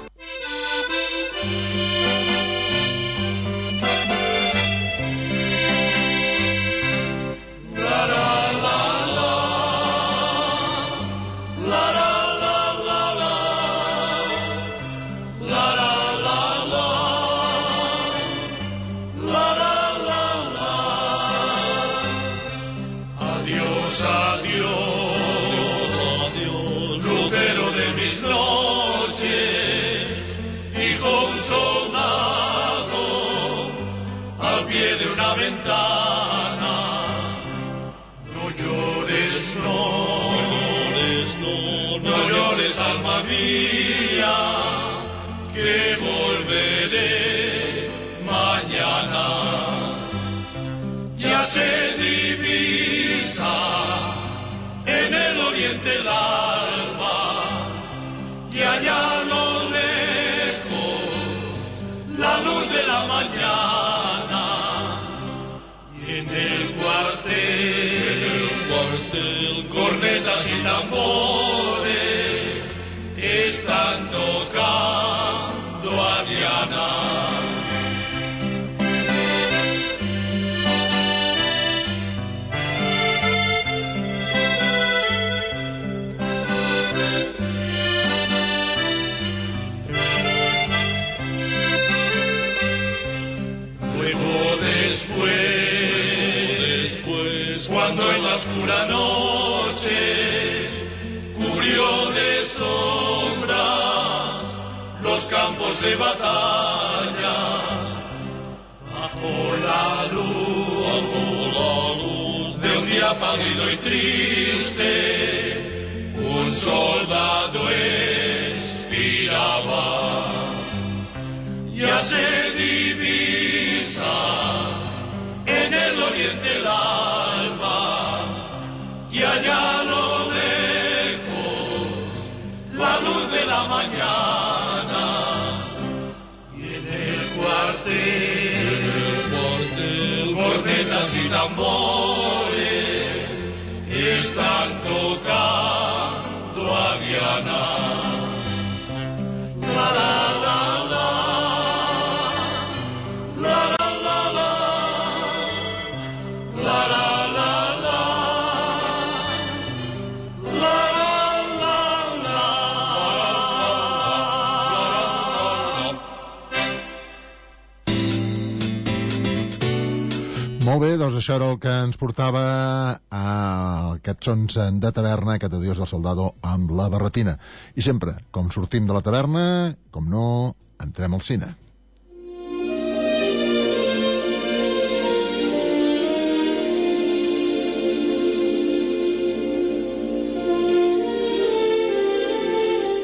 Que volveré mañana. Ya se divisa en el oriente el alba y allá a lo lejos la luz de la mañana. Y en el cuartel, el cuartel cornetas y tambores están tocando a Diana. Luego después, después, cuando en la oscura noche cubrió de sombras los campos de batalla, bajo la luz, bajo la luz de un día pálido y triste, un soldado expiraba. Ya se divisa en el oriente el alba y allá a lo la luz de la mañana. Y en el cuartel, el cuartel cornetas y tambores están tocando a Diana. La la la la, la la la la, la la la la, la.
Molt bé, doncs això era el que ens portava a aquests sons de taverna, aquest Adiós del Soldado amb La Barretina. I sempre, com sortim de la taverna, com no, entrem al cine.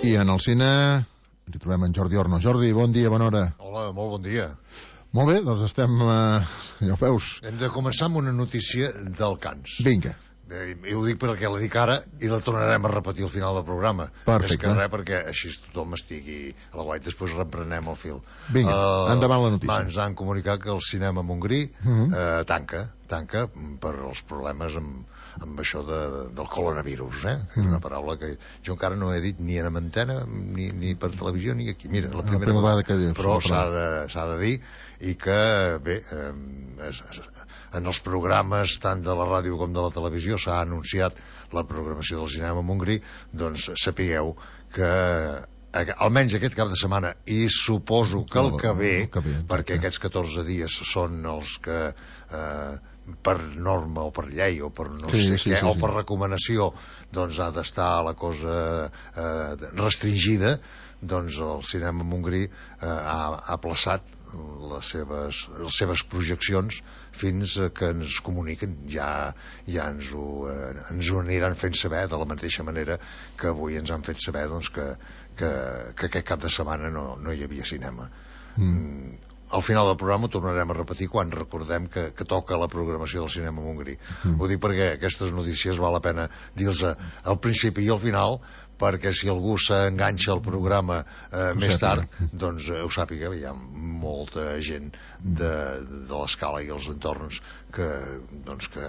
I en el cine ens hi trobem en Jordi Orno. Jordi, bon dia, bona hora.
Hola, molt bon dia.
Molt bé, doncs estem, eh, ja ho veus.
Hem de començar amb una notícia del Cans.
Vinga.
Eh, I ho dic perquè la dic ara i la tornarem a repetir al final del programa.
Perfecte.
És que res, perquè així tothom estigui a la guai. Després reprenem el fil.
Vinga, uh, endavant la notícia.
Va, ens han comunicat que el cinema Montgrí uh -huh. eh, tanca, tanca per els problemes amb, amb això de, del coronavirus, eh? Que és una paraula que jo encara no he dit ni en antena, ni, ni per televisió, ni aquí. Mira, la primera,
la primera vegada que dius.
Però s'ha de, s'ha de dir, i que, bé, eh, es, es, en els programes tant de la ràdio com de la televisió s'ha anunciat la programació del cinema Montgrí, doncs sapigueu que almenys aquest cap de setmana i suposo que el que ve,
el que ve
perquè aquests catorze dies són els que eh, per norma o per llei o per no
sí,
sé
sí,
què,
sí,
o
sí.
per recomanació, doncs ha d'estar la cosa eh, restringida, doncs el cinema Montgrí eh, ha, ha plaçat les seves, les seves projeccions fins que ens comuniquen. Ja, ja ens, ho, eh, ens ho aniran fent saber, de la mateixa manera que avui ens han fet saber doncs, que, que, que aquest cap de setmana no, no hi havia cinema. Mm. Al final del programa ho tornarem a repetir quan recordem que, que toca la programació del cinema Montgrí. Mm. Ho dic perquè aquestes notícies val la pena dir-los al principi i al final, perquè si algú s'enganxa al programa eh, més tard, doncs eh, ho sàpiga, hi ha molta gent de, de l'escala i els entorns que, doncs, que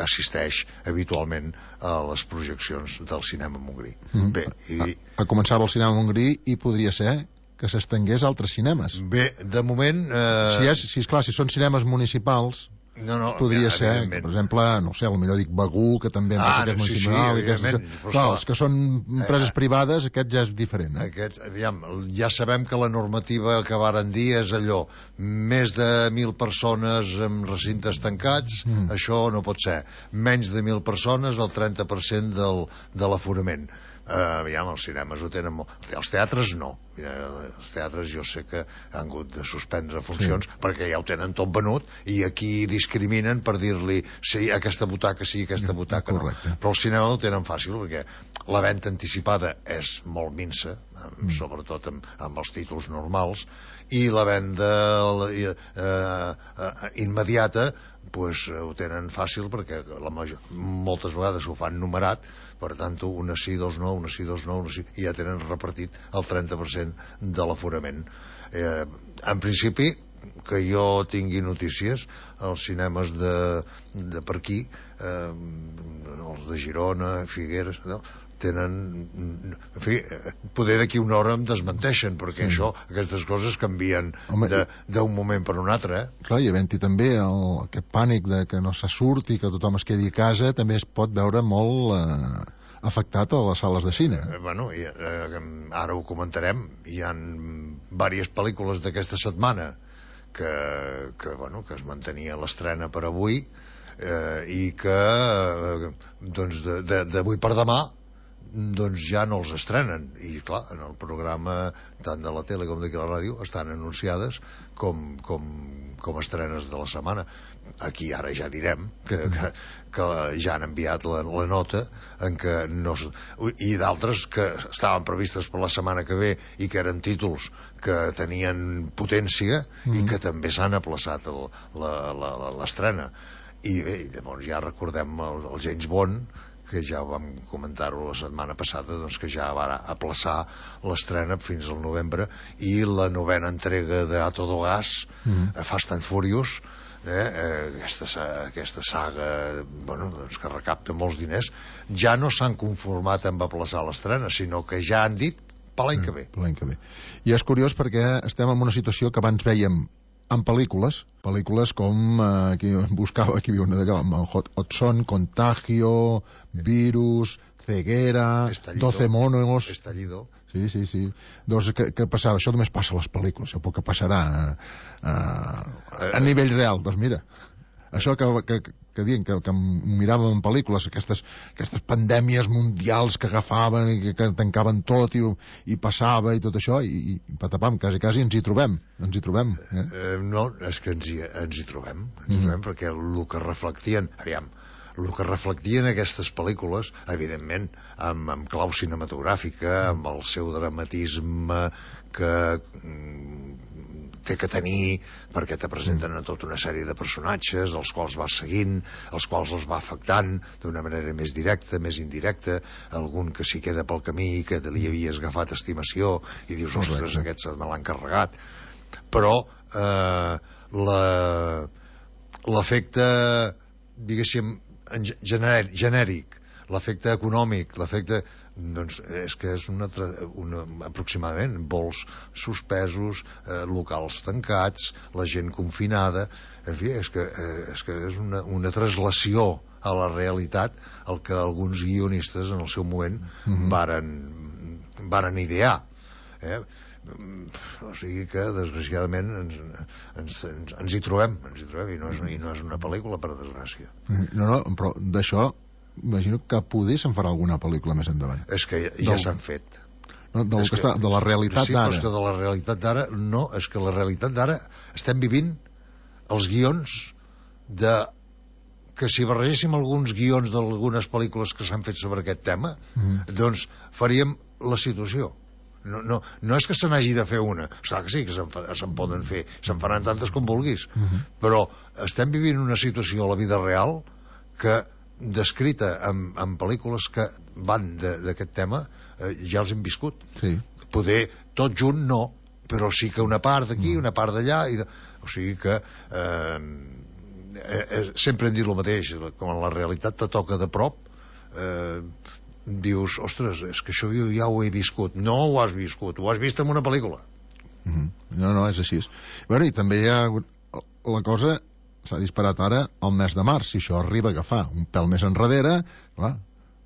assisteix habitualment a les projeccions del cinema Montgrí. Mm. Bé, i...
a, a començava el cinema Montgrí i podria ser que s'estengués a altres cinemes.
Bé, de moment... Eh...
Si, és, si és clar, si són cinemes municipals...
No, no,
podria
ja,
ser, que, per exemple, no sé, potser dic Begú, que també
ah,
que és
sí,
municipal,
sí,
i aquests,
però,
clar, els que són empreses eh, privades, aquest ja és diferent. Eh?
Aquest, aviam, ja sabem que la normativa que varen dir és allò, més de mil persones en recintes tancats, mm. això no pot ser. Menys de mil persones, el trenta per cent del, de l'aforament. Uh, aviam, els cinemes ho tenen molt. Els teatres no. Els teatres jo sé que han hagut de suspendre funcions, sí, perquè ja ho tenen tot venut i aquí discriminen per dir-li sí, aquesta butaca sí, aquesta butaca correcte, no. Però el cinema ho tenen fàcil perquè la venda anticipada és molt minsa, amb, mm. sobretot amb, amb els títols normals, i la venda eh, eh, immediata pues, ho tenen fàcil perquè la major, moltes vegades ho fan numerat, per tant, una sí, dos no, una sí, dos no, una sí, i ja tenen repartit el trenta per cent de l'aforament. Eh, en principi, que jo tingui notícies, els cinemes de, de per aquí, eh, els de Girona, Figueres, no? Tenen, en fi, poder d'aquí una hora em desmenteixen, perquè sí, això, aquestes coses canvien d'un moment per un altre, eh?
Clar, i havent-hi també el, aquest pànic de que no se surti, que tothom es quedi a casa, també es pot veure molt eh, afectat a les sales de cine.
Eh, bueno, i, eh, ara ho comentarem, hi ha diverses pel·lícules d'aquesta setmana que, que, bueno, que es mantenia l'estrena per avui eh, i que eh, doncs d'avui per demà doncs ja no els estrenen, i clar, en el programa tant de la tele com d'aquí la ràdio estan anunciades com, com, com estrenes de la setmana. Aquí ara ja direm que, que, que ja han enviat la, la nota en què no, i d'altres que estaven previstes per la setmana que ve i que eren títols que tenien potència mm. i que també s'han aplaçat l'estrena. I bé, llavors ja recordem el, el James Bond, que ja vam comentar-ho la setmana passada, doncs que ja va aplaçar l'estrena fins al novembre, i la novena entrega de A Todo Gas, mm. Fast and Furious, eh, aquesta, aquesta saga, bueno, doncs que recapta molts diners, ja no s'han conformat amb aplaçar l'estrena, sinó que ja han dit per l'any que ve.
Per l'any que ve. I és curiós perquè estem en una situació que abans vèiem en pel·lícules, pel·lícules com eh, aquí buscava, aquí havia una d'allò, Hot, Hot Son, Contagio, Virus, Ceguera,
Estallido,
Doce Monos...
Estallido.
Sí, sí, sí. Doncs què, què passava? Això només passa a les pel·lícules, això que passarà a, a, a nivell real. Doncs mira, això que, que, que diuen que, que miràvem en pel·lícules, aquestes, aquestes pandèmies mundials que agafaven i que, que tancaven tot i, i passava i tot això, i, i patapam, quasi, quasi ens hi trobem, ens hi trobem. Eh?
Eh, no, és que ens hi, ens hi trobem, ens hi trobem, mm. perquè el que reflectien, aviam, el que reflectien aquestes pel·lícules, evidentment, amb, amb clau cinematogràfica, amb el seu dramatisme que té que tenir, perquè te presenten a tota una sèrie de personatges, els quals vas seguint, els quals els va afectant d'una manera més directa, més indirecta, algun que s'hi queda pel camí, que li havies agafat estimació, i dius, ostres, aquest me l'han carregat. Però eh, l'efecte, diguéssim, genèric, genèric, l'efecte econòmic, l'efecte... doncs és que és una, una, aproximadament vols suspesos, eh, locals tancats, la gent confinada, en fi, és que eh, és, que és una, una traslació a la realitat el que alguns guionistes en el seu moment mm-hmm. varen, varen idear, eh? O sigui que, desgraciadament, ens, ens, ens, ens hi trobem, ens hi trobem, i no és, i no és una pel·lícula, per desgràcia.
No, no, però d'això, imagino que poder se'n farà alguna pel·lícula més endavant.
És que ja, ja s'han fet.
No, del que, que està, de la realitat
sí,
d'ara.
Sí, però és que de la realitat d'ara, no, és que la realitat d'ara estem vivint els guions de... que si barregéssim alguns guions d'algunes pel·lícules que s'han fet sobre aquest tema, mm. doncs faríem la situació. No, no, no és que se n'hagi de fer una, clar que sí que se'n, fa, se'n poden fer, se'n faran tantes com vulguis, uh -huh. però estem vivint una situació a la vida real que, descrita en, en pel·lícules que van d'aquest tema, eh, ja els hem viscut.
Sí.
Poder tot junt no, però sí que una part d'aquí, una part d'allà, i de... o sigui que eh, eh, sempre hem dit el mateix, com en la realitat te toca de prop, eh, dius, ostres, és que això jo ja ho he viscut. No ho has viscut, ho has vist en una pel·lícula.
Mm-hmm. No, no, és així. Bueno, i també hi ha la cosa, s'ha disparat ara el mes de març, si això arriba a agafar un pèl més enrere, clar,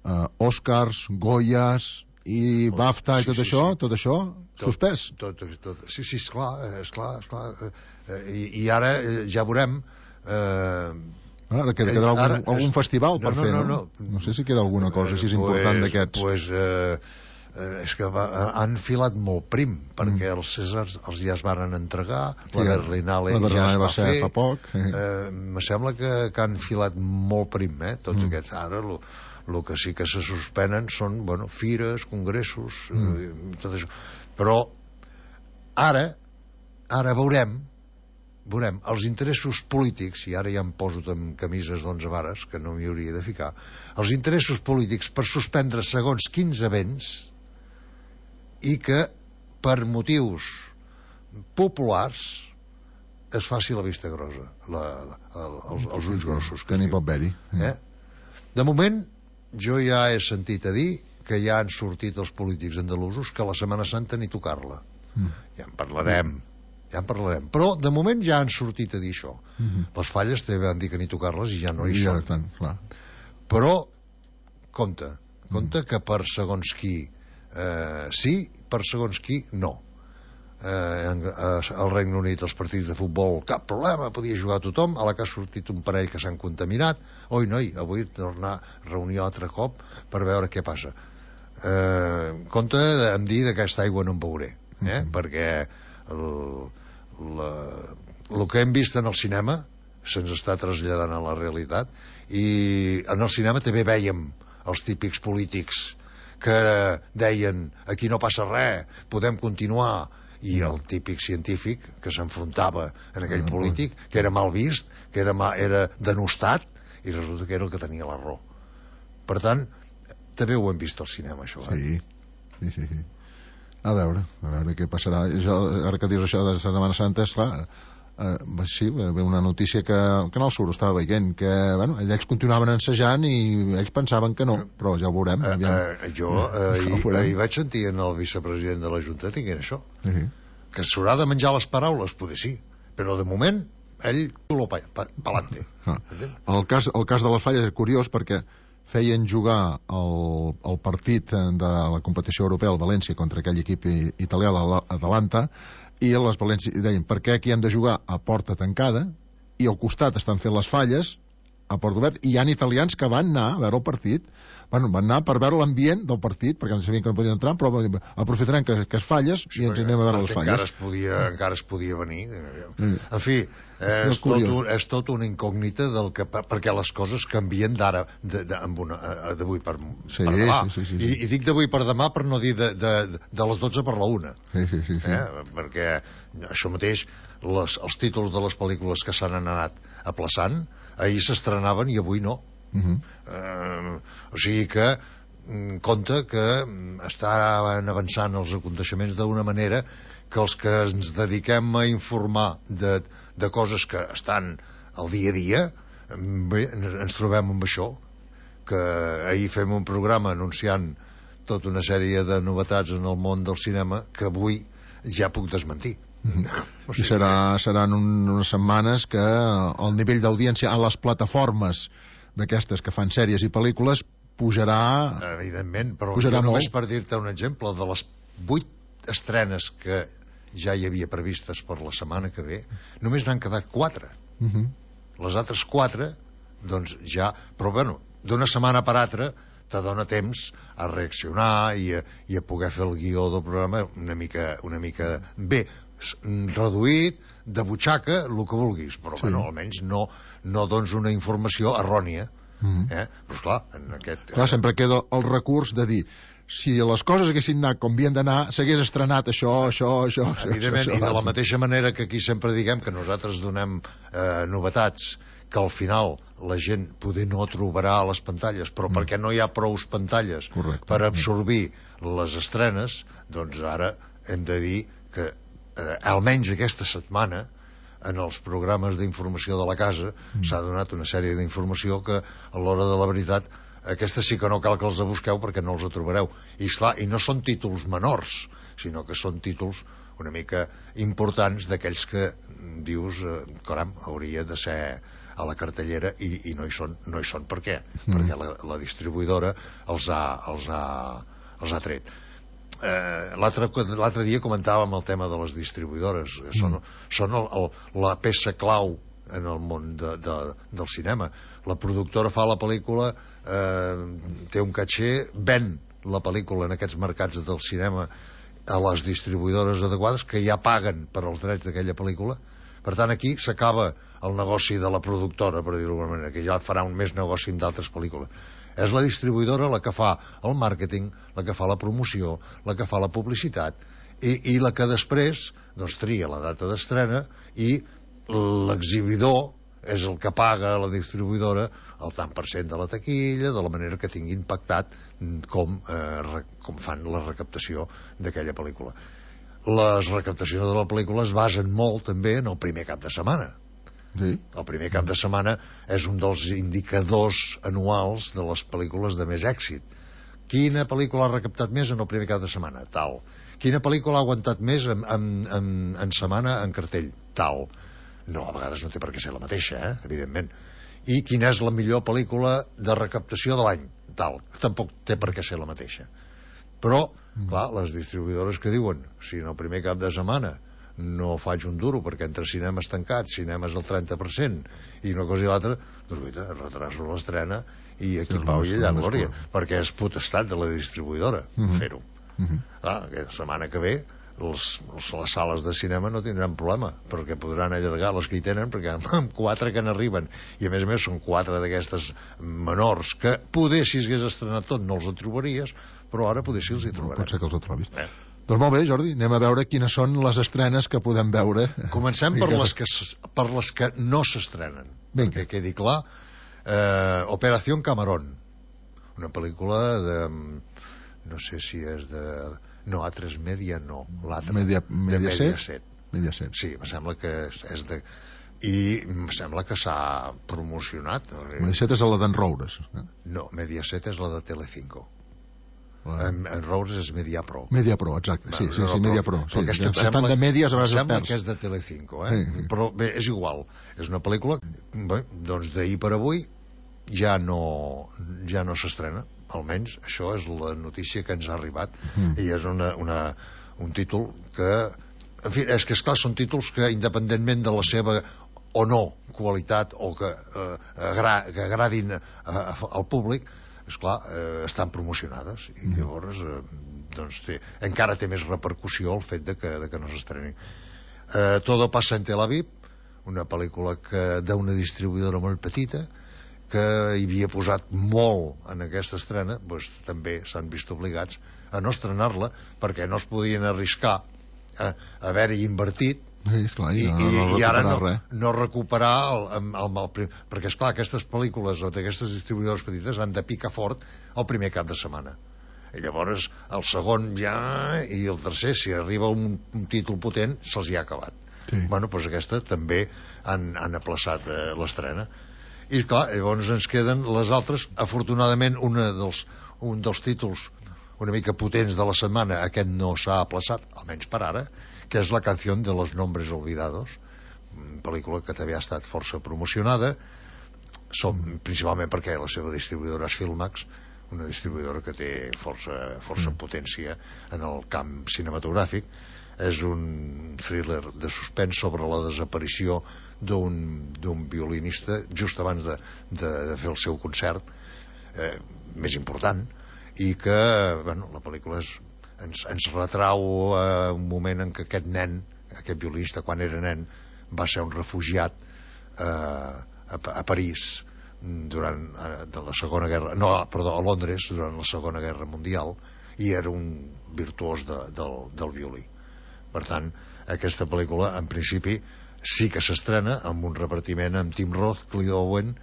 uh, Oscars, Goyas i BAFTA i tot
sí,
això,
sí.
tot això suspès.
Tot, tot, tot. Sí, sí, esclar, esclar, esclar. I, i ara ja veurem... Eh,
Ara queda, quedarà algun,
ara,
algun festival per
no, no,
fer, no?
No, no,
no sé si queda alguna cosa així pues, important d'aquests.
Pues, eh, és que va, han filat molt prim, perquè mm. els Cèsars els ja es varen entregar, sí, la Berlinale
la
ja es va,
va ser
fer.
Fa poc. Eh.
Eh, me sembla que, que han filat molt prim, eh, tots mm. aquests. Ara, el que sí que se suspenen són, bueno, fires, congressos, mm. eh, tot això. Però ara, ara veurem veurem, els interessos polítics, i ara ja em poso amb camises d'onze vares, que no m'hi hauria de ficar, els interessos polítics per suspendre segons quins events i que per motius populars es faci la vista grossa, la, la, els, els ulls grossos.
Que n'hi pot haver-hi.
Eh? De moment, jo ja he sentit a dir que ja han sortit els polítics andalusos que la Setmana Santa ni tocar-la. Mm. Ja en parlarem. Mm. Ja en parlarem, però de moment ja han sortit a dir això. Uh-huh. Les falles també van dir que ni tocar-les i ja no hi
I
són.
Ja estan, clar.
Però compte, compte uh-huh. que per segons qui eh, sí, per segons qui no. Eh, en, eh, al Regne Unit els partits de futbol cap problema, podia jugar tothom, a la que ha sortit un parell que s'han contaminat. Oi, noi, avui tornar a reunir altre cop per veure què passa. Eh, compte em dir d'aquesta aigua no en beuré, eh? Uh-huh. Perquè el, la, el que hem vist en el cinema se'ns està traslladant a la realitat, i en el cinema també veiem els típics polítics que deien aquí no passa res, podem continuar, i el típic científic que s'enfrontava en aquell polític, que era mal vist, que era, mal, era denostat, i resulta que era el que tenia la raó. Per tant, també ho hem vist al cinema, això.
Eh? Sí, sí, sí, sí. A veure, a veure què passarà. Jo, ara que dius això de la Setmana Santa, esclar, eh, sí, ve una notícia que, que no el surt, estava veient, que bueno, ells continuaven ensejant i ells pensaven que no, però ja ho veurem.
Eh, eh, jo eh, hi, hi vaig sentir en el vicepresident de la Junta dient això, uh-huh. que s'haurà de menjar les paraules, potser sí, però de moment ell lo pa, pa, pa'lante.
Ah. El, cas, el cas de les falles és curiós perquè feien jugar el, el partit de la competició europea al València contra aquell equip italià d'Atalanta, i les València deien, per què aquí hem de jugar a porta tancada i al costat estan fent les falles a porta oberta, i hi ha italians que van anar a veure el partit, bueno, van anar per veure l'ambient del partit, perquè no sabien que no podien entrar, però aprofitarem que, que es falles sí, i ens anem a veure les falles.
Encara es podia, encara es podia venir. En fi, eh, és, tot un, és tot una incògnita del que, perquè les coses canvien d'ara d'avui per,
sí,
per demà.
Sí, sí, sí, sí.
I, i dic d'avui per demà per no dir de, de, de les dotze per la una.
Sí, sí, sí, sí.
Eh? Perquè això mateix, les, els títols de les pel·lícules que s'han anat aplaçant, ahir s'estrenaven i avui no. Uh-huh. eh, o sigui que compte que estaven avançant els aconteixements d'una manera que els que ens dediquem a informar de, de coses que estan al dia a dia, bé, ens trobem amb això, que ahir fem un programa anunciant tota una sèrie de novetats en el món del cinema que avui ja puc desmentir.
O sigui, I serà, seran un, unes setmanes que el nivell d'audiència a les plataformes d'aquestes que fan sèries i pel·lícules pujarà...
Evidentment, però
pujarà
jo només
molt.
Per dir-te un exemple, de les vuit estrenes que ja hi havia previstes per la setmana que ve, només n'han quedat quatre.
Uh -huh.
Les altres quatre, doncs ja... Però, bueno, d'una setmana per altra te dona temps a reaccionar i a, i a poder fer el guió del programa una mica, una mica bé, reduït, de butxaca, el que vulguis, però, sí. bueno, almenys no, no dones una informació errònia. Mm. Eh? Però, esclar, en aquest...
Clar, sempre queda el recurs de dir si les coses haguessin anat com havien d'anar, s'hagués estrenat això, això, això...
Evidentment,
això, això,
i de la mateixa manera que aquí sempre diguem que nosaltres donem eh, novetats, que al final la gent poder no trobarà a les pantalles, però mm. perquè no hi ha prous pantalles
Correcte.
per absorbir les estrenes, doncs ara hem de dir que eh, almenys aquesta setmana en els programes d'informació de la casa mm. s'ha donat una sèrie d'informació que a l'hora de la veritat aquesta sí que no cal que els busqueu perquè no els trobareu. I, esclar, i no són títols menors, sinó que són títols una mica importants d'aquells que dius, eh, caram, hauria de ser a la cartellera i, i no hi són. No hi són per què? Mm. Perquè la, la distribuïdora els ha, els ha, els ha tret. Eh, l'altre dia comentàvem el tema de les distribuïdores. Mm. Són, són el, el, la peça clau en el món de, de, del cinema. La productora fa la pel·lícula, eh, té un caché, ven la pel·lícula en aquests mercats del cinema a les distribuïdores adequades que ja paguen per als drets d'aquella pel·lícula. Per tant, aquí s'acaba el negoci de la productora, per dir-ho d'alguna manera, que ja farà un més negoci amb d'altres pel·lícules. És la distribuïdora la que fa el màrqueting, la que fa la promoció, la que fa la publicitat i, i la que després doncs, tria la data d'estrena i l'exhibidor és el que paga a la distribuïdora el tant per cent de la taquilla, de la manera que tingui impactat com, eh, com fan la recaptació d'aquella pel·lícula. Les recaptacions de la pel·lícula es basen molt també en el primer cap de setmana.
Sí.
El primer cap de setmana és un dels indicadors anuals de les pel·lícules de més èxit. Quina pel·lícula ha recaptat més en el primer cap de setmana? Tal. Quina pel·lícula ha aguantat més en, en, en, en setmana en cartell? Tal. No, a vegades no té per què ser la mateixa, eh? Evidentment. I quina és la millor pel·lícula de recaptació de l'any? Tal. Tampoc té per què ser la mateixa. Però, clar, les distribuïdores que diuen si en el primer cap de setmana no faig un duro perquè entre cinemes tancats, cinemes al trenta per cent i una cosa i l'altra, doncs guaita, retraso l'estrena i aquí pau i allà glòria, perquè és potestat de la distribuïdora
Mm-hmm.
fer-ho.
Mm-hmm.
Clar, aquesta setmana que ve els, els, les sales de cinema no tindran problema perquè podran allargar les que hi tenen, perquè amb quatre que n'arriben i a més a més són quatre d'aquestes menors que poder si s'hagués estrenat tot no els trobaries, però ara poder si els hi trobarem.
Pot ser que els trobis.
Eh.
Doncs molt bé, Jordi, anem a veure quines són les estrenes que podem veure.
Comencem per les que, per les que no s'estrenen. Perquè quedi clar, eh, Operación Camarón, una pel·lícula de... no sé si és de... no, A tres Media no, l'altra.
Media, Mediaset?
Mediaset.
Mediaset.
Sí, em sembla que és de... i em sembla que s'ha promocionat.
Mediaset és la d'en Roures. Eh?
No, Mediaset és la de Telecinco. En, en Roures és Mediapro.
Mediapro, exacte, sí, sí, sí, Mediapro. Sí,
sí.
Tant de mèdies a vegades
sembla que és de Telecinco, eh? Sí, sí. Però bé, és igual. És una pel·lícula, bé, doncs d'ahir per avui ja no, ja no s'estrena. Almenys això és la notícia que ens ha arribat. Mm. I és una, una, un títol que... En fi, és que esclar, són títols que independentment de la seva o no qualitat o que, eh, agra, que agradin a, a, al públic, esclar, eh, estan promocionades i llavors eh, doncs té, encara té més repercussió el fet de que, de que no s'estreni. eh, Todo pasa en Tel Aviv, una pel·lícula que d'una distribuïdora molt petita que hi havia posat molt en aquesta estrena, doncs també s'han vist obligats a no estrenar-la perquè no es podien arriscar a haver-hi invertit.
Sí, esclar,
I,
no, no, no
i ara no,
res.
no recuperar el, el, el, el, perquè esclar, aquestes pel·lícules d'aquestes distribuïdores petites han de picar fort el primer cap de setmana i llavors el segon ja i el tercer, si arriba un, un títol potent se'ls hi ha acabat. Sí. Bueno, doncs aquesta també han, han aplaçat eh, l'estrena i clar, llavors ens queden les altres. Afortunadament una dels, un dels títols una mica potents de la setmana, aquest no s'ha aplaçat, almenys per ara, que és La canción de los nombres olvidados, pel·lícula que també ha estat força promocionada, som, principalment perquè la seva distribuïdora és Filmax, una distribuïdora que té força, força mm. potència en el camp cinematogràfic. És un thriller de suspens sobre la desaparició d'un violinista just abans de, de, de fer el seu concert eh, més important, i que bueno, la pel·lícula és, ens, ens retrau eh, un moment en què aquest nen, aquest violinista, quan era nen, va ser un refugiat eh, a, a París durant de la Segona Guerra, no, perdó, a Londres durant la Segona Guerra Mundial, i era un virtuós de, del, del violí. Per tant, aquesta pel·lícula en principi sí que s'estrena amb un repartiment amb Tim Roth, Clive Owen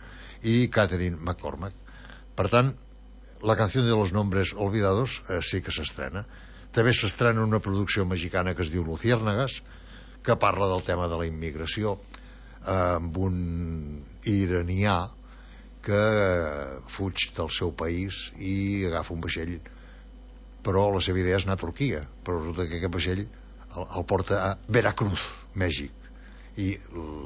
i Catherine McCormack. Per tant, La canción de los nombres olvidados eh, sí que s'estrena. També s'estrena una producció mexicana que es diu Luciérnagas, que parla del tema de la immigració, eh, amb un iranià que fuig del seu país i agafa un vaixell, però la seva idea és anar a Turquia, però resulta que aquest vaixell el, el porta a Veracruz, Mèxic, i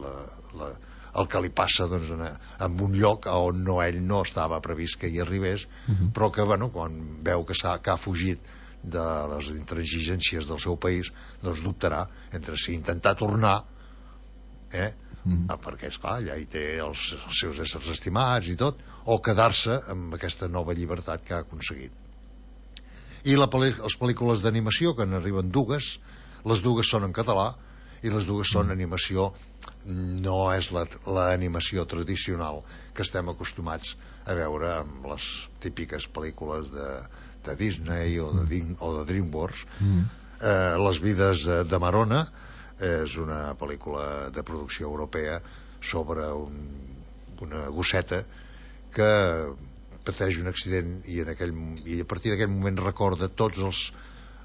la, la, el que li passa doncs, en, en un lloc on no, ell no estava previst que hi arribés, uh-huh. però que bueno, quan veu que, ha, que ha fugit de les intransigències del seu país, doncs dubtarà entre si intentar tornar, eh, mm. perquè esclar, allà hi té els, els seus éssers estimats i tot, o quedar-se amb aquesta nova llibertat que ha aconseguit. I la, les pel·lícules d'animació, que n'arriben dues, les dues són en català i les dues són animació, no és l'animació la, tradicional que estem acostumats a veure amb les típiques pel·lícules de, de Disney o de, o de DreamWorks. Mm. Eh, Les vides de Marona és una pel·lícula de producció europea sobre un, una gosseta que pateix un accident i, en aquell, i a partir d'aquell moment recorda tots els,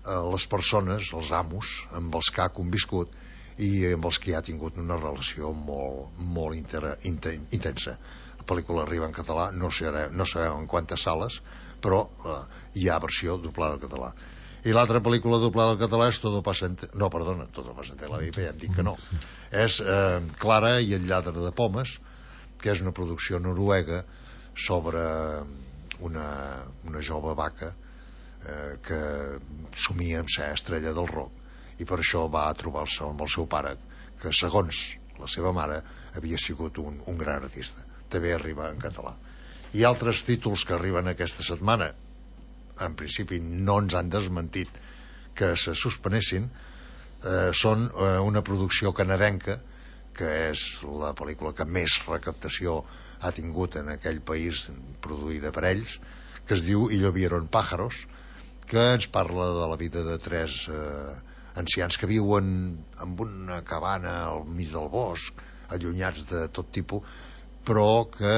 eh, les persones, els amos amb els que ha conviscut i amb els que ha tingut una relació molt, molt inter, inter, intensa. La pel·lícula arriba en català, no, serà, no sabem en quantes sales, però eh, hi ha versió doblada al català. I l'altra pel·lícula doblada al català és Todo pasa en... No, perdona, Todo pasa en la vida, ja hem dit que no. És eh, Clara i el lladre de pomes, que és una producció noruega sobre una, una jove vaca eh, que somia amb ser estrella del rock, i per això va a trobar-se amb el seu pare, que segons la seva mare havia sigut un, un gran artista. També arriba en català. I altres títols que arriben aquesta setmana, en principi no ens han desmentit que se suspenessin, eh, són eh, una producció canadenca, que és la pel·lícula que més recaptació ha tingut en aquell país, produïda per ells, que es diu Y llovieron pájaros, que ens parla de la vida de tres eh, ancians que viuen en una cabana al mig del bosc, allunyats de tot tipus, però que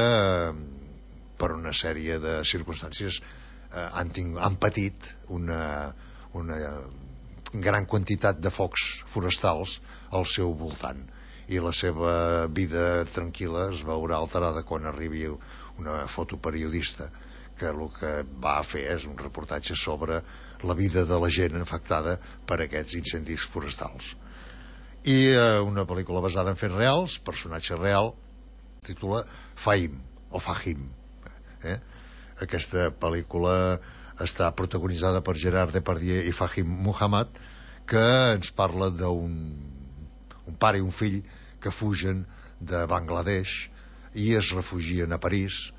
per una sèrie de circumstàncies eh, han, tingut, han patit una, una gran quantitat de focs forestals al seu voltant, i la seva vida tranquil·la es veurà alterada quan arribi una fotoperiodista que el que va fer és un reportatge sobre la vida de la gent afectada per aquests incendis forestals. I eh, una pel·lícula basada en fets reals, personatge real, titula Fahim o Fahim. Eh? Aquesta pel·lícula està protagonitzada per Gerard Depardieu i Fahim Muhammad, que ens parla d'un un pare i un fill que fugen de Bangladesh i es refugien a París,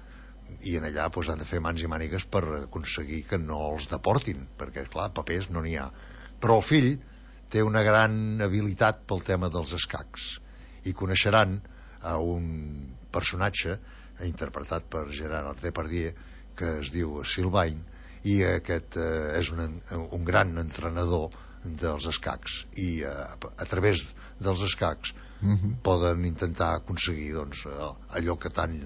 i en allà doncs, han de fer mans i mànigues per aconseguir que no els deportin, perquè clar, papers no n'hi ha. Però el fill té una gran habilitat pel tema dels escacs, i coneixeran a un personatge interpretat per Gerard Depardieu que es diu Sylvain, i aquest eh, és un, un gran entrenador dels escacs, i eh, a través dels escacs mm-hmm. poden intentar aconseguir doncs, allò que tant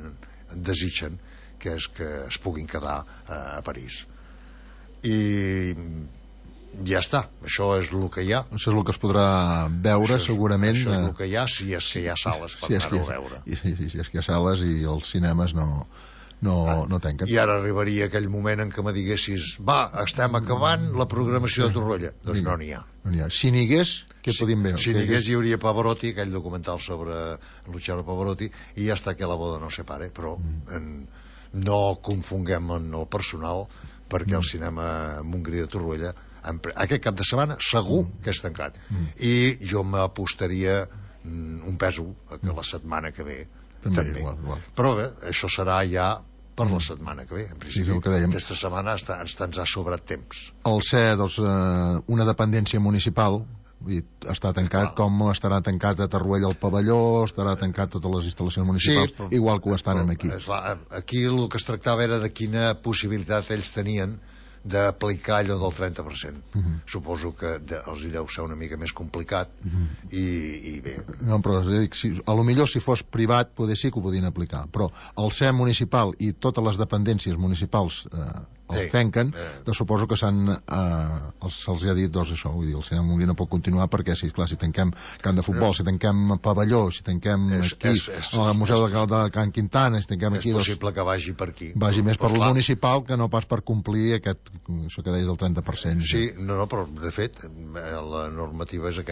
desitgen, que és que es puguin quedar eh, a París. I ja està, això és el que hi ha.
Això és el que es podrà veure, això és, segurament.
Això és el que hi ha, si és que hi ha sales per
si
anar-ho a veure.
I, si, si és que hi ha sales i els cinemes no, no, ah, no tanquen.
I ara arribaria aquell moment en què me diguessis va, estem acabant la programació de Torroella. Doncs no n'hi ha.
No n'hi ha. Si n'hi hagués, què
si,
podíem veure?
Si n'hi hagués hi hauria Pavarotti, aquell documental sobre Luciano Pavarotti, i hasta que la boda no se pare, però mm. en no confonguem en el personal, perquè el cinema Montgrí de Torroella aquest cap de setmana segur que és tancat. I jo m'apostaria un pèsol que la setmana que ve també, també.
Igual, igual.
Però bé, això serà ja per la setmana que ve. En principi,
sí, que
aquesta setmana està, ens, ens ha sobrat temps.
El ser doncs, una dependència municipal, està tancat, com estarà tancat a Torroella el pavelló, estarà tancat totes les instal·lacions municipals, sí, però, igual que ho estan
però,
aquí.
Esclar, aquí el que es tractava era de quina possibilitat ells tenien d'aplicar allò del trenta per cent. Uh -huh. Suposo que de, els hi deu ser una mica més complicat. Uh -huh. i, i bé...
No, però dic, si, a lo millor si fos privat poder sí que ho podien aplicar, però el ser municipal i totes les dependències municipals eh, els sí. tanquen, eh. doncs suposo que s'han eh, se'ls ha dit doncs això, vull dir, el cinema Montgrí no pot continuar perquè si, clar, si tanquem camp de futbol, eh. si tanquem pavelló, si tanquem és, aquí és, és, el Museu és, de, de Can Quintana, si tanquem
és
aquí...
És possible doncs, que vagi per aquí.
Vagi més per lo municipal que no pas per complir aquest, això que deies del trenta per cent.
Sí, no, no, però de fet la normativa és aquesta.